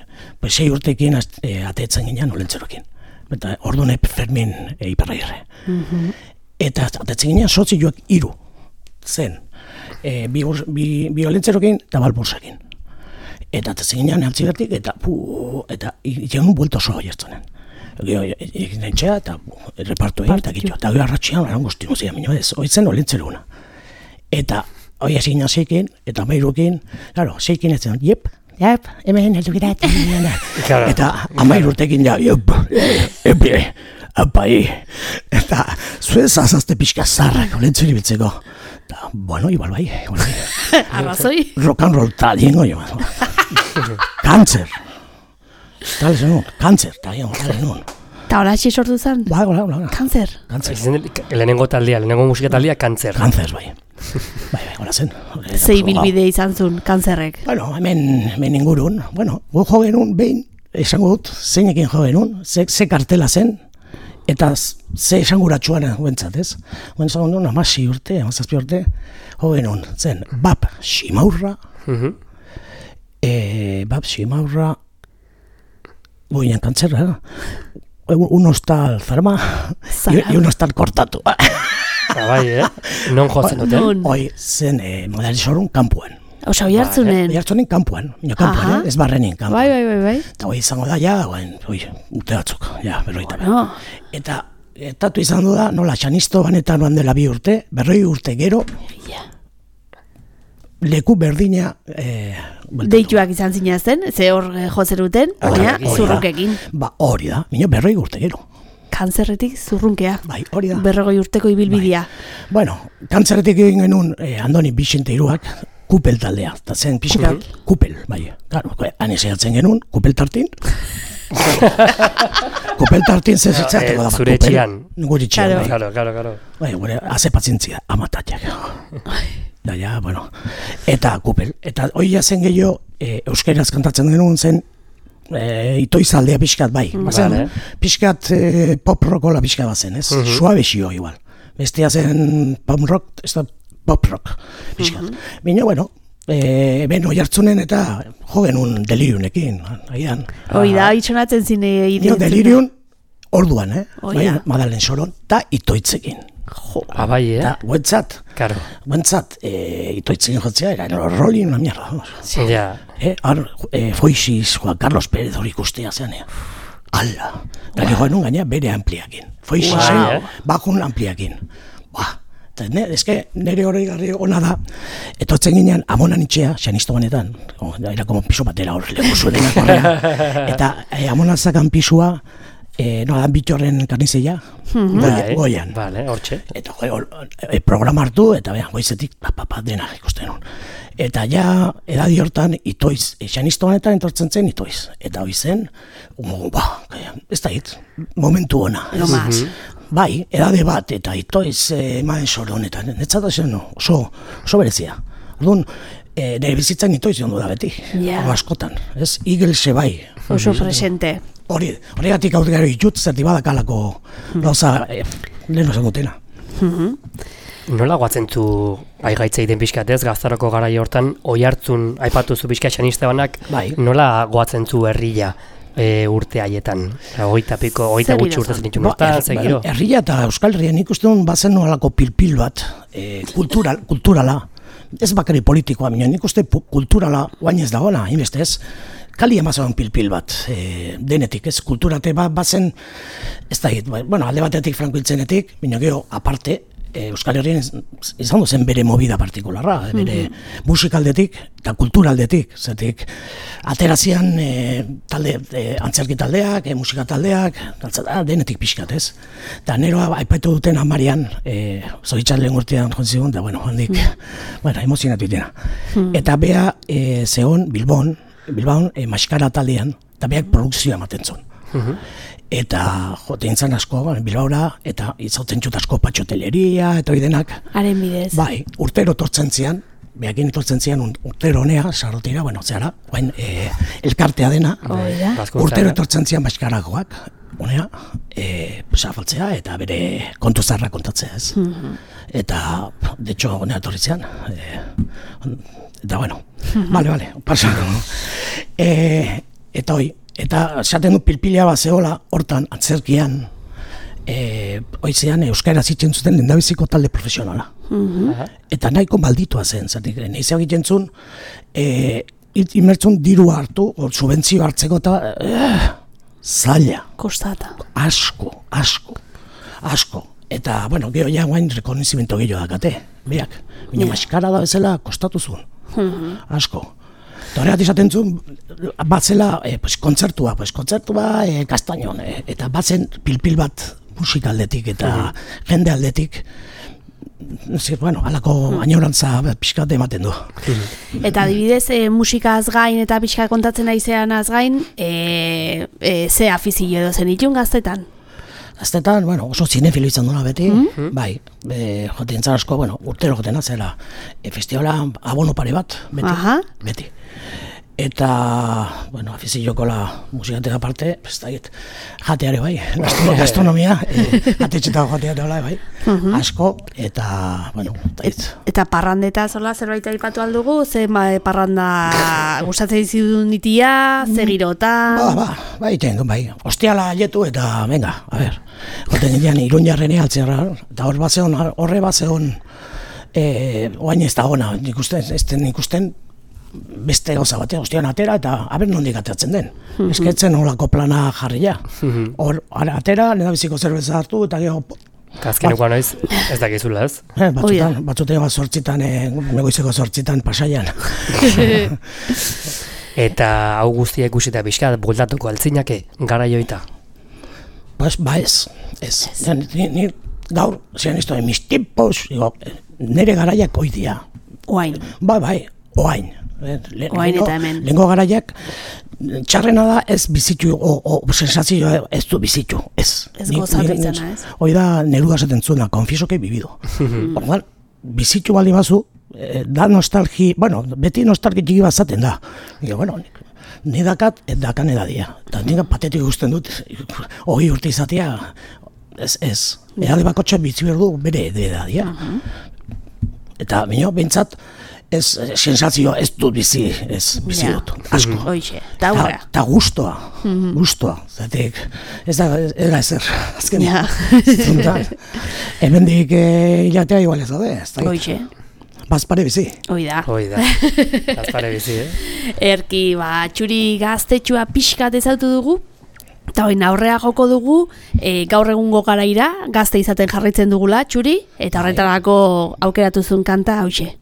6 urtekin ateetzen ginen olentzerokin. Eta orduan Fermin Iparraierre. Eta ateetzen ginen sotzioak 3 zen. Bi olentzerokin eta balbursakin. Eta ateetzen ginen altzigatik eta iten buelto soa jertzonen. Egin txea eta repartu egin eta gitxo. Eta gero arratxian eran guztinu zian, minua ez, oitzen olentzeruna. Eta hoi hasi ginen zeikin, eta amairukin, claro, zeikin ez zen, jep, hemen heldu girat. Eta amairurtekin apai, eta zuez azazte pixka zarrak olentzeri bitzeko. Eta, igual bai. Arrazoi? Rock and roll talien goi, Kantzer. Tal zenun, kantzer, talien nun. Eta hola sortu zen? Bai, hola. Kantzer? Lehenengo musika taldea, kantzer. Kantzer, bai, hola zen. Zei bilbide izan zuen, kantzerrek? Hemen ingurun, gu jo genuen behin, esango dut, zeinekin jo genuen, ze kartela zen, eta ze esanguratsuan guentzat, ez? Guentzat genuen, 16 urte, 17 urte, jo genuen, zen, Bab Ximaurra, goinen kantzerra, un hostal zarma, y un hostal kortatu. Bai, non jotzen duten? Hoi, zen modalizorun kampuan. Osa, oi hartzunen? Oi hartzunen kampuan, ez barrenin kampuan. Bai. Eta hoi izango da, urte batzuk, berroita. Eta etatu izan du da, nola, txanisto banetan noan dela 2 urte, 40 urte gero, leku berdina deituak izan zinazten, ze hor jozeruten, zurrukekin. Hori da, minio 40 urte gero. Kantzerretik zurrunkea. Bai, hori da. 40 urteko ibilbidea. Kantzerretik egin genuen Andoni Bixente Iruak, kupel taldea, eta zen pixka, kupel, bai. Han esatzen genuen, kupel tartin. Kupel tartin zezatzeko da. Zure etxian. Gure etxian, bai. Claro. Bai, gure, haze patzientzia, amatatiak. Eta kupel. Eta hori jazen gehiago, euskaraz kantatzen genuen zen, itoizaldea pixkat, bai. Pixkat pop rockola pixkat bazen, ez? Suabexio, igual. Bestia zen pop rock, ez da pop rock pixkat. Bino, ben hoi hartzunen eta jo genuen deliriunekin, agian. Hoi da, itxonatzen zine ideetzen. Deliriun, orduan, Madalen Soron, eta itoitzekin. Bai, Guentzat, itoitzekin jotzea, era rolling una mierda. Foixiz, Juan Carlos Pérez hori ikustea zean, ala, eta joan nun gaina bere ampliakin, Foixizen bakun ampliakin, eta nire hori garri ona da, etortzen ginen Amonan itxea, xanisto banetan, era como piso batera hor leku zuedenak horrean, eta Amonan zakan pisua, dan bitxorren karnizeia, goian. Vale, hortxe. Eta programa hartu, eta goizetik, dena ikusten hon. Eta ja, edadi hortan, itoiz, xanisto honetan entortzen zen itoiz. Eta hoi zen, ez da hit, momentu ona. Bai, edade bat, eta itoiz emaen sore honetan. Netzat zen, oso berezia. Orduan, nire bizitzan itoiz joan du da beti, askotan. Ez, Igelse bai. Oso presente. Horregatik hau gero itut, zerti badakalako gauza lehen osan dutena. Nola guatzen zu aigaitza egiten pixkatez, gaztaroko garai hortan, oihartzun aipatu zu pixka xaniste banak, nola guatzen zu herria urte haietan? Hogeita gutxi urte zen itxun hortan, zegiro? Herria eta Euskal Herrian ikusten bazen nolako pilpil bat, kulturala, ez bakari politikoa, nik uste kulturala guain ez dagoena, inbeste ez, kali emazan pilpil bat, denetik, ez, kulturate bat bazen, ez da hit, alde batetik Franko hiltzenetik, baina gero, aparte, Euskal Herrian izan duzen bere movida partikularra, bere musikaldetik eta kulturaldetik, zetik, aterazian antzerki taldeak, musika taldeak, denetik pixkat, ez. Eta nero aipatu duten amarian, zoritxan lehen urtean joan da, handik, emozionatu itena. Eta bea zehon Bilbon maskara taldean, eta beak produkzioa ematen zuen. Eta joten zan asko, Bilbaura, eta izauten txut asko patxoteleria, eta hori denak. Haren bidez. Bai, urtero tortzen zian, behakin tortzen zian urtero honea, sarrotira, zehara, elkartea dena, urtero tortzen zian maskaragoak, honea, zafaltzea, eta bere kontu zarra kontatzea ez. Eta, de hecho, honea torri zian, eta bale, pasako. Eta hoi, eta esaten du pilpila bat zehola, hortan, antzerkian, oizean euskara zitzen zuten lehendabiziko talde profesionala. Eta nahiko malditua zen, zatik, nahizea egiten zuen, imertzun dirua hartu, subentzio hartzeko eta zaila. Kostata. Asko. Eta, gero ja guain rekonizimento gehiago dakate, biak. Baina maskara da bezala kostatu zuen. Asko. Eta horregat izaten zuen, batzela kontzertua, Kastañon, eta batzen pilpil bat musikaldetik eta jende aldetik, halako añorantza pixkat ematen du. Eta adibidez, musikaz gain eta pixkat kontatzen aizean az gain, ze afizio edo zen itun gaztetan? Gaztetan, oso zinefilo izan duna beti, bai, joten zan asko, urtero joten atzela, festivala abono pare bat, beti. Eta, afizioko la musikatek aparte, jateare bai, gastronomia, jatetxetako jateare bai, asko, eta, Eta parrandeta zola zerbait aipatu aldugu, ze parranda gustatzen dizudun ditia, ze girota? Bai, ostiala aletu eta, venga, a ber, joten ginean Iruñarrene altzera, eta horre bat zegoen, oain ez da ona, ikusten, beste gauza batean, ostian atera eta aber nondik ateratzen den. Esketzen olako plana jarria. Hor, atera, nedabiziko zerbeza hartu eta gero... Azkeneko noiz, ez dakizula ez? Batzutean zortzitan, negoizeko zortzitan pasaian. Eta hau guztia ikusita pixka, bueltatuko altzinake, gara joita? Ez. Ni gaur, zian izto, mis tipos, nire garaiak oidia. Oain. Bai, oain. Oain eta hemen. Lehenko garaiak, txarrena da ez bizitu, sensazioa ez du bizitu, ez. Ez gozatu izana, ez? Hoi da, neru gazaten zuena, confieso que he vivido. Orduan, bizitu baldi bazu, da nostalgi, beti nostalgi txiki bat zaten da. Ni dakat, dakan edadia. Eta nik patetik guztien dut, hori urte izatea, ez. Edade bakotxa bizi behar du bere edadia. Eta, bintzat, ez sensazio ez dut bizi dut, asko. Eta guztua, zatek, ez da ezer, azkenean. Hemendik hilatea igual ez daude, ez da. bazpare bizi. Hoi da. Bazpare bizi, Erki, Txuri gaztetxua pixkat ezautu dugu, eta hori aurrea joko dugu, gaur egungo garaira, gazte izaten jarraitzen dugula, Txuri, eta horretarako aukeratu zuen kanta hauxe.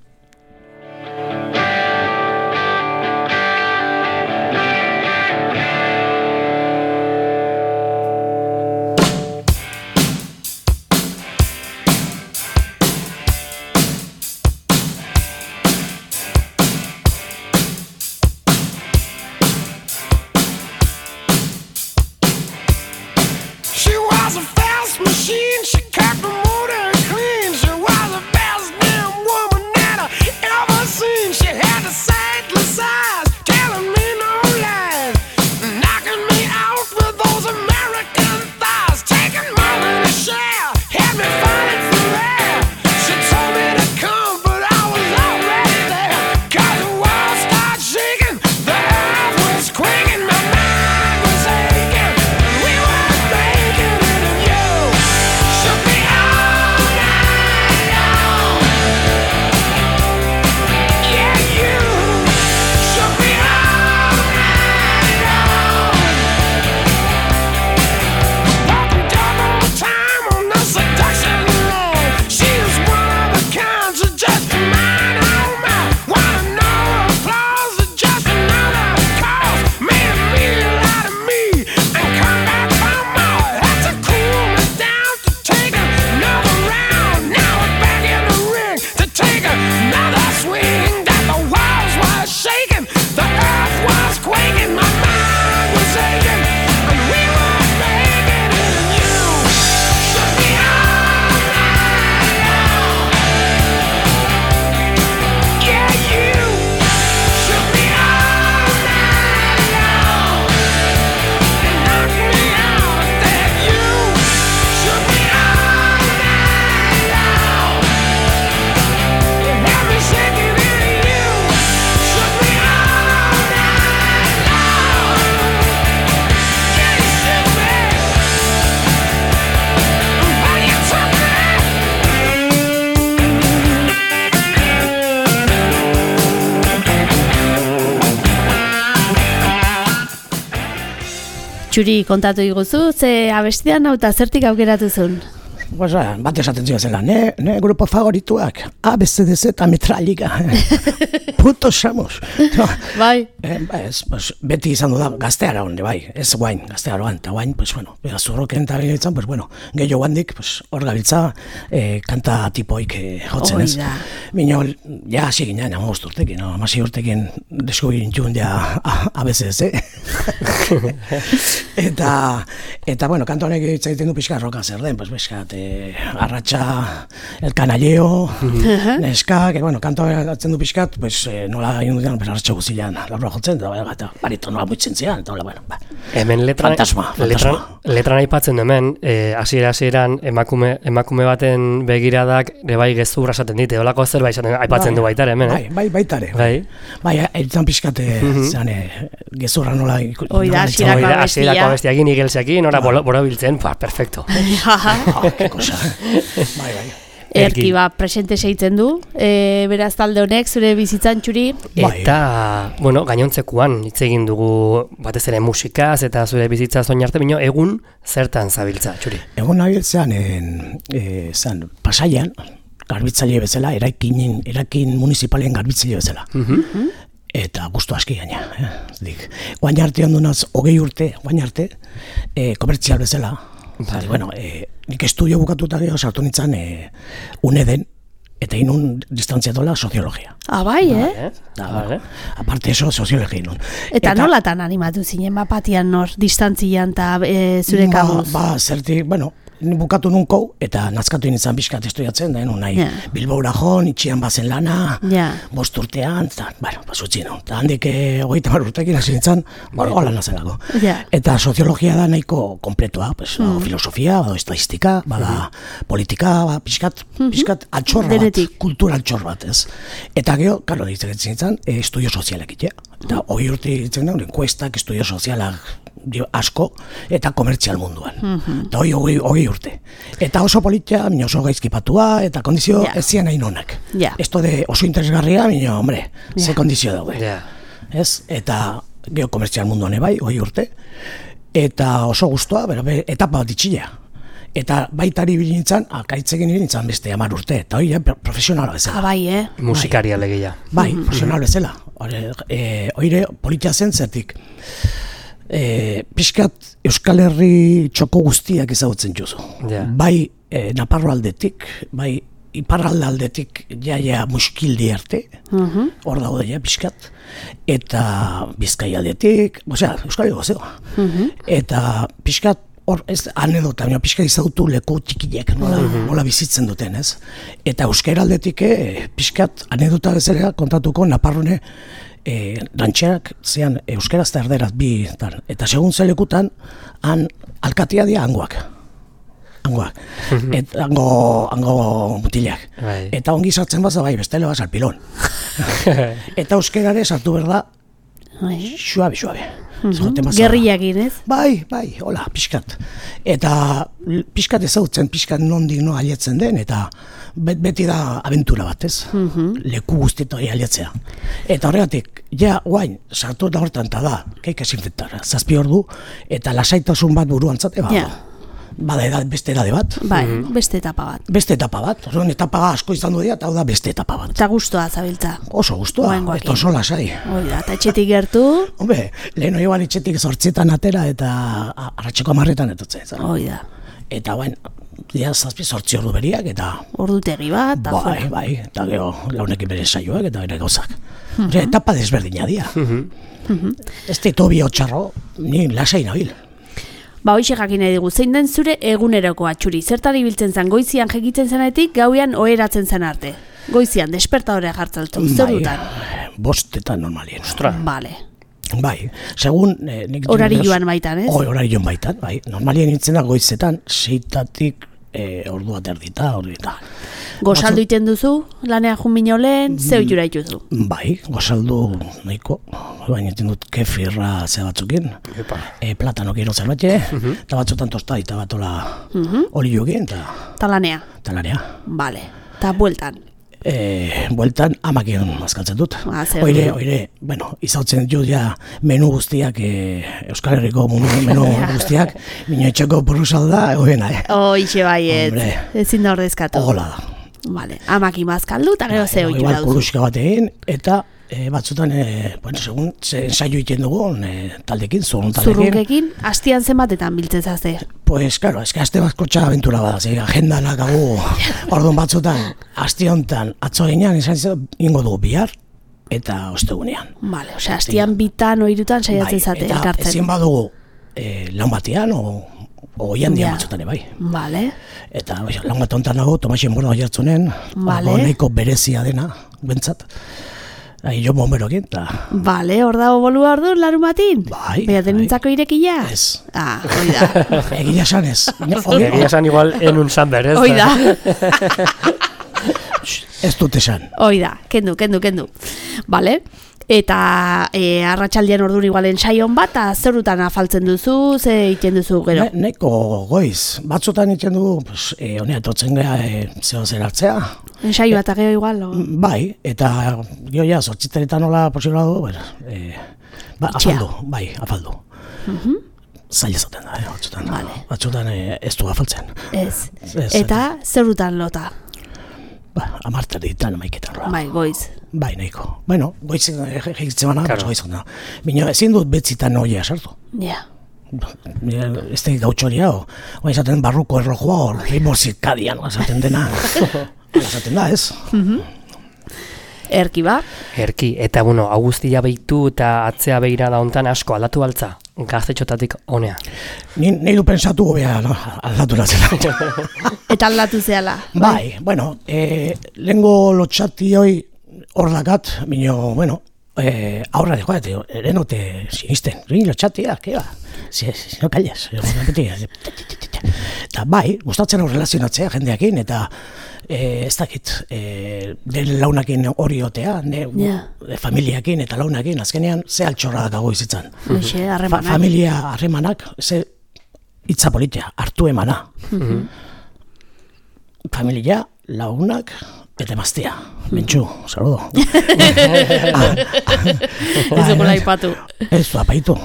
Txuri, kontatu iguzu, ze abestian hau eta zertik aukeratu zuen? Bat esaten zio zela, ne grupo favorituak, ABCDZ eta Metralliga. Puto xamos. Bai. Beti izan du da, gazteara honde, bai, ez guain, gazteara honde, eta guain, zurroken eta gainetzen, gehiago handik, hor gabiltza, kanta tipoik jotzen ez. Bino, ja, hasi ginen, 15 urtekin, 16 urtekin deskubirin txun, ja, ABCDZ. Eta, kanta honek egiten du pixka roka zer den, pixkat, arratxa, el canalleo, neska, kanto gatzen du pixkat, nola egin duten, arratxa guzilean, laurra jotzen, eta baritonoa muitzen zian, eta hola, hemen letran aipatzen du hemen, hasieran emakume baten begiradak bai gezurra esaten dite, holako zerbait aipatzen du baitare hemen, Bai, baitare. Bai, eritzen pixkat, gezurra nola... Oida, hasierako abestiakin, igelseakin, nora borobiltzen, perfecto. Cosa, bai. Erki presente seitzen du, beraz talde honek, zure bizitzan Txuri. Eta, gainontzekuan hitz egin dugu batez ere musikaz eta zure bizitza zoin arte, bino egun zertan zabiltza, Txuri? Egun nabiltzean, Pasaian, garbitzaile bezala, erakin municipalen garbitzaile bezala. Eta gustu aski gaina. Guain arte ondunaz, 20 urte, komertzial bezala. Nik estudio bukatuta gero sartu nintzen UNEDen eta inun distantzia dola soziologia. Bai, Aparte eso, soziologia inun. Eta nolatan animatu zinen bapatian nor distantzian eta zure kabuz? Zertik, bukatu nunko eta nazkatu nintzen bizkat estudiatzen, da nahi Bilbaura joan, itxian bazen lana, 5 urtean, eta, zutzi nun. Eta handik 30 urtekin hasi nintzen, hola nazelako. Eta soziologia da nahiko kompletoa, filosofia, estadistika, politika, bizkat altxorra bat, kultura altxor bat, ez. Eta gero, karo, ditzen nintzen, estudio sozialak itea. Eta hori urte ditzen da, enkuestak, estudio sozialak asko, eta komertzial munduan. Eta hori urte. Eta oso politia, oso gaizkipatua, eta kondizio ez zian nahi nonak. Esto de oso interesgarria, hombre, ze kondizio daude. Ez? Eta geokomertzial munduan bai, hori urte. Eta oso guztua, etapa bat itxilea. Eta baitari bilintzan, akaitzekin bilintzan beste 10 urte, eta hori profesionala bezala. Bai, musikaria legeia. Bai, profesional bezala. Hori politia zen zertik. Piskat Euskal Herri txoko guztiak ezagutzen juzu. Bai Naparro aldetik, bai Iparralde aldetik jaia muskildi arte, hor daude ja piskat, eta Bizkai aldetik, Euskal Herri gozeo. Eta piskat hor ez anedota, pixka izagutu leku txikiek, nola bizitzen duten, ez? Eta euskara aldetik pixkat anedota bezala kontatuko Naparrone rantxerak zean euskaraz eta erderaz bi, eta segun zelekutan han alkatia dia hangoak. Eta hango mutilak. Eta ongi sartzen baza bai, bestele basa alpilon. Eta euskarare sartu berda suabe. Gerriakin, ez? Bai, hola, pixkat. Eta pixkat ezagutzen, pixkat nondik no alietzen den, eta beti da abentura bat, ez? Leku guztieto aliatzea. Eta horregatik, guain, sartu eta hortan, eta da, keik esinfektara, 7 ordu, eta lasaitasun bat buruan zate, bada beste edade bat. Bai, beste etapa bat. Beste etapa bat, etapa asko izan du dira, eta hau da beste etapa bat. Eta guztua zabiltza. Oso guztua, eta oso lasai. Oida, eta etxetik gertu? Hombre, lehen hori ban etxetik 8 atera, eta arratseko 10 etutzen. Oida. Eta bain, 7-8 ordu beriak, eta... Ordutegi bat, eta jora. Bai, eta gero launekin bere saioak, eta bere gauzak. Etapa desberdina dira. Ez da tobi hotxarro, ni lasai nabil. Hoxe jakin nahi dugu, zein den zure eguneroko atxuri? Zertan ibiltzen zen, goizian jekitzen zenetik, gauean oheratzen zen arte? Goizian, despertadorea jartzaltu, zer dutan? 5 normalien. Ostra. Bale. Bai, segun... Horari joan baitan, ez? Horari joan baitan, bai. Normalien nintzen da goizetan, 6 ordu bat erdita. Gozaldu iten duzu, lanea junbino lehen, zeu jura ituzu? Bai, gozaldu nahiko. Baina iten dut kefirra ze batzukin, platanok iro zerbait, eta batzutan tosta eta batola oli jogien, eta lanea? Eta lanea. Bale, eta bueltan? Bueltan amakion mazkaltzen dut. Oire, izautzen dut ja menu guztiak, Euskal Herriko menu guztiak, minio etxeko burrusalda, oiena, Oixe baiet, ezin da ordezkatu. Ogola da. Vale, amaki mazkaldu, eta gero zeu jura duzu. Kuruxka bat egin, eta batzutan, segun, ensaio egiten dugu, taldekin, zurrun taldekin. Zurrunkekin, hastian zenbatetan biltzen zazte? Pues, claro, aste bazko txaga aventura bada, agendanak agu, orduan batzutan, haste honetan, atzo ginean, ingo dugu bihar, eta ostegunean. Vale, osea, hastian bitan, oirutan, saiatzen zate, elkartzen. Eta ezin badugu, lan batean, oian dian batzutan, bai. Vale. Eta lan bat honetan nago, Tomaxen borda oiartzunen, nahiko berezia dena, bentsat. Jo bomberokin, eta... Bale, hor dago bolua ordu, larun batin? Bai. Bea denintzako irekila? Ez. Hoi da. Egia san ez. Egia san igual enun samber, ez? Hoi da. Ez dut esan. Hoi da, kendu. Bale. Eta arratsaldean orduan igual ensaion bat, zerutan afaltzen duzu, ze egiten duzu gero? Neko goiz. Batzutan egiten dugu, honea etortzen gara zeo zeratzea. Ensaio bat ageo igual? Bai, eta gio ja, 8 nola posibla du, afaldu. Zaila zaten da, batzutan. Batzutan ez du afaltzen. Ez. Eta zerutan lota? 10 amaiketan. Bai, goiz. Bai, nahiko. Bueno, goiz egitzen bana, goiz gana. Bino, ezin dut betzitan noia sartu. Ja. Ez da gautxoria, oa izaten barruko erlojua, ritmo zirkadian, esaten dena. Esaten da, ez? Erki ba? Erki, eta Augustia behitu eta atzea behira da hontan asko aldatu baltza, gaztetxotatik honea. Ni du pensatu gobea, aldatu nazela. Eta aldatu zehala? Bai, lehengo lotxati hoi hor dakat, aurra de joate, erenote sinisten, lotxatia, keba, si no calles, Eta bai, gustatzen hau relazionatzea jendeakin, eta ez dakit, den launakin hori otea, familiakin eta launakin, azkenean, ze altxorra dakago izitzan. Familia harremanak, ze hitza politia, hartu emana. Familia, launak, eta emaztea. Mentxu, saludo. Ez dugu laipatu. Ez du apaitu.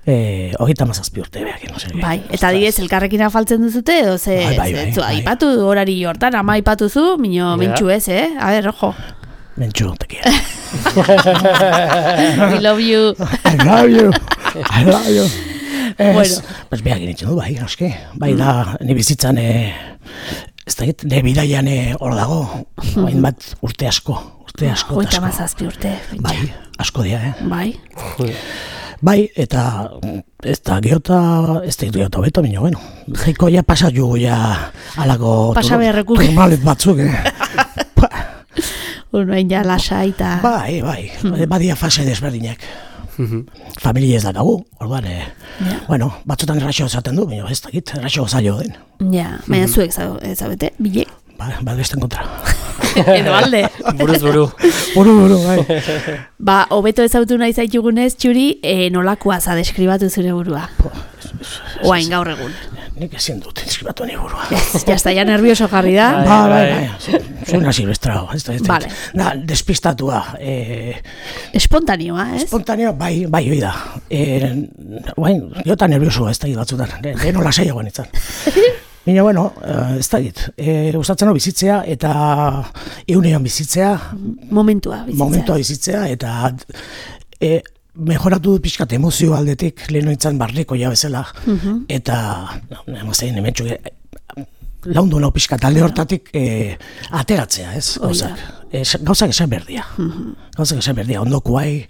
37 urte behak. Bai, eta digez, elkarrekin afaltzen duzute, edo ze, aipatu horari hortan, ama aipatu zu, mentxu ez, A ver, ojo. Mentxu, te quiero. I love you. I love you. I love you. Bueno. Pues behak initzen du, bai, aski. Bai da, ni bizitzan, ez da, ne bidaian hor dago, bain bat urte asko. Hoita mazazpi urte. Bai, asko dia, Bai. Bai, eta ez da geota beto, baina, bueno, jaiko ja pasa jugu ja alako turmalet batzuk, Urbain ja lasa eta... Bai, badia fase desberdinak. Familia ez dakagu, orduan, bueno, batzutan erraxo zaten du, baina ez dakit, erraxo zailo den. Ja, baina zuek zabete, bilek? Ba, besten kontra. Edo alde. Buruz. Buru, bai. Ba, hobeto ezautu nahi zaitugunez, Txuri, nolakoa za deskribatu zure burua? Oain, gaur egun. Nik ezin dut deskribatu ni burua. Jazta, ja nervioso jarri da. Bai. Soy silvestrao. Vale. Despistatua. Espontaneoa, ez? Espontaneo, bai, hoi da. Jota nervioso ez da batzutan. Deno lasaiagoan itzan. Baina, bueno, ez da dit, gustatzen bizitzea eta eunean bizitzea. Momentua bizitzea eta mejoratu dut pixkat emozio aldetik, leheno itzan barriko ja bezala. Eta, emaztein, hementxu, laundu nau pixkat alde hortatik ateratzea, ez? Gauzak esan berdia. Ondokuai,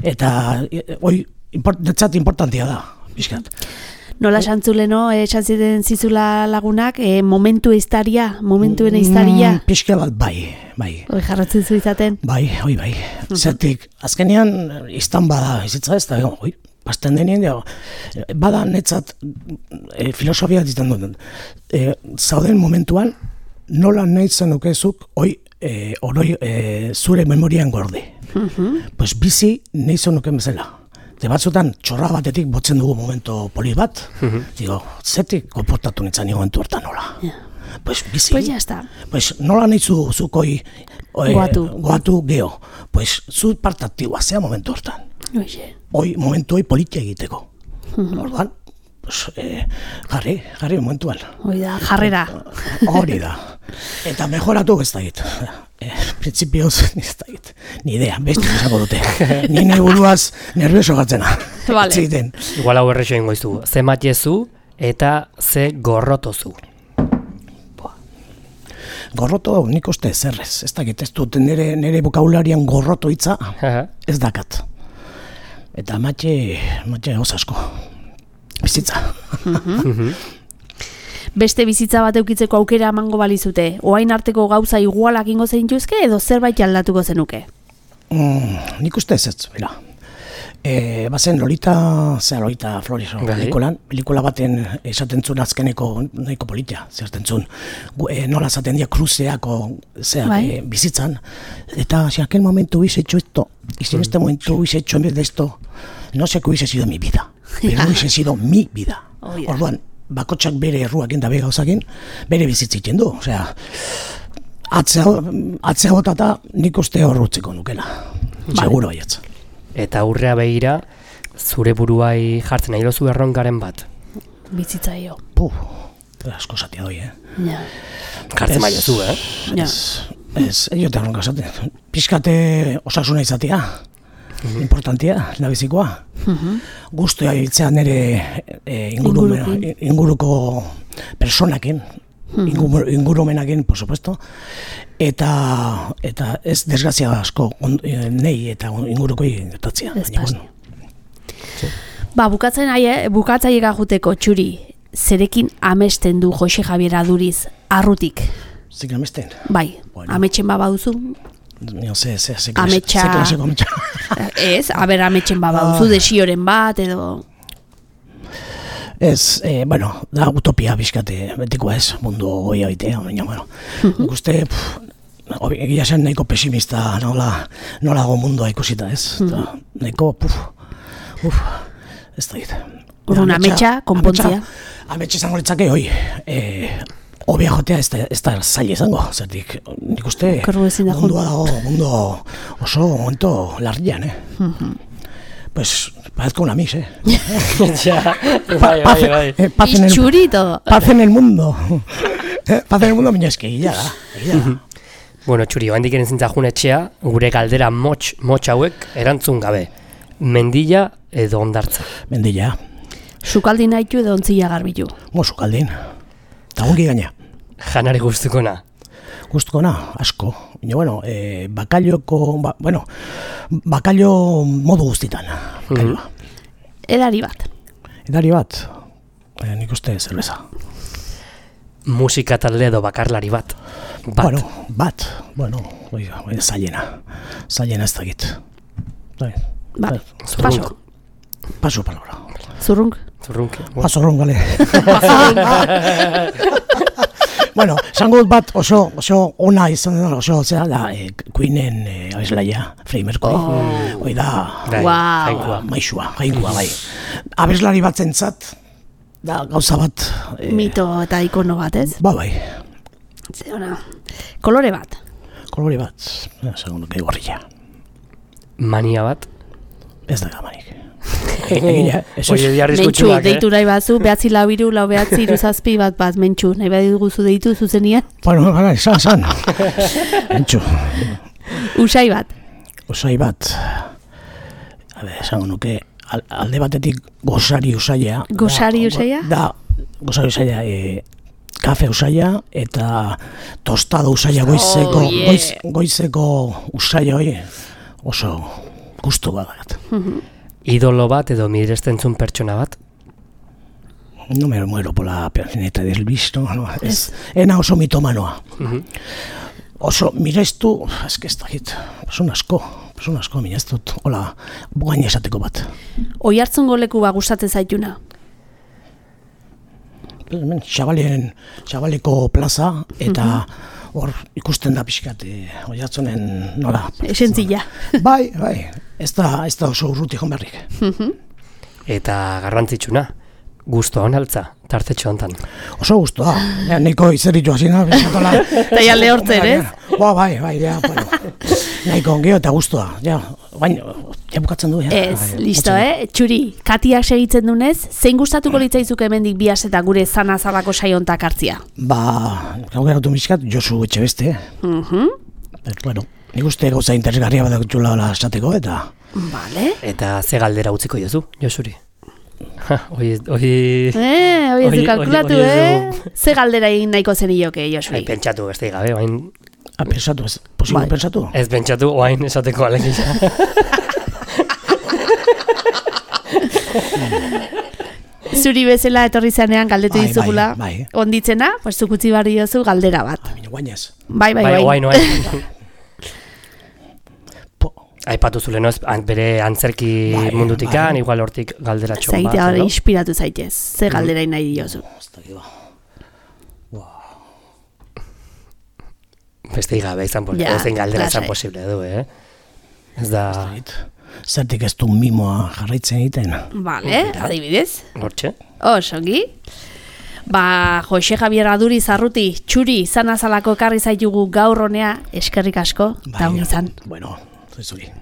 eta netzat importantia da, pixkat. Nola xantzuleno, esan ziren zizula lagunak, momentuen iztaria? Pixka bat, bai. Hoi jarratzen zu izaten? Bai. Zertik, azkenean iztan bada izitza ez, eta pasten denien, bada netzat filosofia ditan duten. Zauden momentuan, nola nahi zenukezuk, zure memorian gorde. Pues bizi nahi zenuken bezala. De batzutan, txorra batetik botzen dugu momento poli bat, digo, zetik komportatu nintzen momentu hortan nola. Pues bizi, pues ya está. Pues nola nahi zukoi goatu geho, pues zu partatioa zea momentu hortan. Momentu politia egiteko. Orduan, pues, jarri momentuan. Jarrera. Hori da. Eta mejoratu ez da git. Principioz, ez da git. Ni idea, beste esako dute. Ni nahi buruaz nervioso gatzena. Vale. Igual hau errexo ingo izu. Ze matiezu eta ze gorrotozu. Gorroto nik uste zerrez. Ez da git, ez dut nire bokabularian gorroto hitza ez dakat. Eta matxe osasko. Bizitza. Beste bizitza bat eukitzeko aukera emango balizute, oain arteko gauza igualak ingo zeintuzke edo zerbait aldatuko zenuke? Nik uste ez, bera. Bazen Lolita Flores pelikula baten esaten zuen azkeneko nahiko politia, zerten zuen. Nola zaten dia cruceako bizitzan. Eta si aquel momento hubiese hecho esto, y si en este momento hubiese hecho en vez de esto, no sé que hubiese sido mi vida, pero hubiese sido mi vida. Orduan, bakotxak bere erruakin da begauzakin, bere bizitzitzen du. Osea, atzea botata nik uste horrutzeko nukela. Seguro baiatz. Eta aurrea begira, zure buruai jartzen nahi dozu erronkaren bat? Bizitzaio. Asko zatia doi, Ja. Jartzen bai dozu, Ez, jote erronka zaten. Piskate osasuna izatea. Importantia, labizikoa. Guztua hiltzea nire inguruko personakin, ingurumenakin, por supuesto, eta ez desgrazia asko nei eta ingurukoi gertatzea. Bukatzailega juteko, Txuri, zerekin amesten du Jose Javier Aduriz, arrutik? Zik amesten? Bai, ametxen baba duzu? Ze klaseko ametxa. Ez, ametxen baba duzu, desioren bat, edo... Ez, da utopia bizkate betiko ez, mundu goia bitea, baina, nik uste, egia zen nahiko pesimista nolago mundua ikusita ez, nahiko, ez da gita. Urrun, ametsa, konpontzia. Ametsa izango litzake, obia jotea ez da zaila izango, zertik, nik uste, mundua dago, mundu oso momento larrian, Pues, parezco una mis, Bai. Itxurito. Paz en el mundo. Paz en el mundo, miña eski, gila da. Bueno, Txuri, handik eren zintzajun etxea, gure galdera motx hauek erantzun gabe. Mendilla edo hondartza? Mendilla. Sukaldin haitu edo ontzilla garbilu? Sukaldin. Eta ongi gaina. Janari guztukona? Guztukona, asko. Baina, bakallo modu guztitan. Edari bat? Edari bat? Nik uste zerbeza. Musika talde edo bakarlari bat? Bat. Zailena ez dakit. Paso palabra. Zurrunk? Zurrunk, gale. Esango dut bat oso ona izan dena, oso zera da Queenen abeslaia, Freddie Mercury. Hoi da, maixua, jainkoa, bai. Abeslari bat zentzat, da gauza bat. Mito eta ikono bat, ez? Bai. Kolore bat? Kolore bat, esango nuke gorria. Mania bat? Ez da gamanik. Mentxu, deitu nahi bazu, behatzi lau iru, lau behatzi iruzazpi bat mentxu, nahi bat guzu deitu zuzenian? San. Mentxu. Usai bat? Usai bat. Esango nuke, alde batetik gozari usaia. Gozari usaia? Da, gozari usaia, kafe usaia eta tostado usaia goizeko usaia hori oso gustu badat. Idolo bat edo mirestentzun pertsona bat? No me muero por la personeta de Elvis, no. Ena oso mitomanoa. Oso mirestu, eske ez dakit, person asko, mina ez dut, hola, gaina esateko bat. Oihartzungo leku ba gustatzen zaituna? Xabaleko plaza, eta hor ikusten da pixkat, Oiartzunen nola. Esentzilla. Bai, ez da oso urruti joan berrik. Eta garrantzitsuna, gustoa honaltza, tartetxo hontan. Oso gustoa, nahiko izeritu hasina. Eta ja lehortzen, ez? Bai, nahiko ongeo eta gustoa, baina, bukatzen du, Ez, listo, Txuri, Katiak segitzen dunez, zein gustatuko litzaizuke hemendik bias eta gure zanazalako saiontak hartzia? Gau geratu miskat, Josu Etxebeste. Nik uste gauza interesgarria bat dutxula esateko, eta... Vale. Eta ze galdera utziko jozu, Josuri? Hoi ez du kalkulatu, Ze galdera egin nahiko zenioke, Josuri? Pentsatu, ez da gabe, oain... Pensatu, ez posible pensatu? Ez pentsatu, oain esateko alegia. Zuri bezala etorri zanean galdetu dizugula. Onditzena, pues zukutzi barri dozu galdera bat. Guainez. Bai. Oain. Aipatu zulen, bere antzerki mundutikan, igual hortik galdera txon bat. Zaitea hori inspiratu zaitez, ze galdera nahi diozu. Beste gabe izan galdera izan posible du, Ez da... Zertik ez du mimoa jarraitzen egiten. Vale, adibidez. Hortxe. Osongi. Jose Javier Aduri Zarruti, Txuri, izan azalako ekarri zaitugu gaur honea, eskerrik asko, eta izan. Bueno, zuri.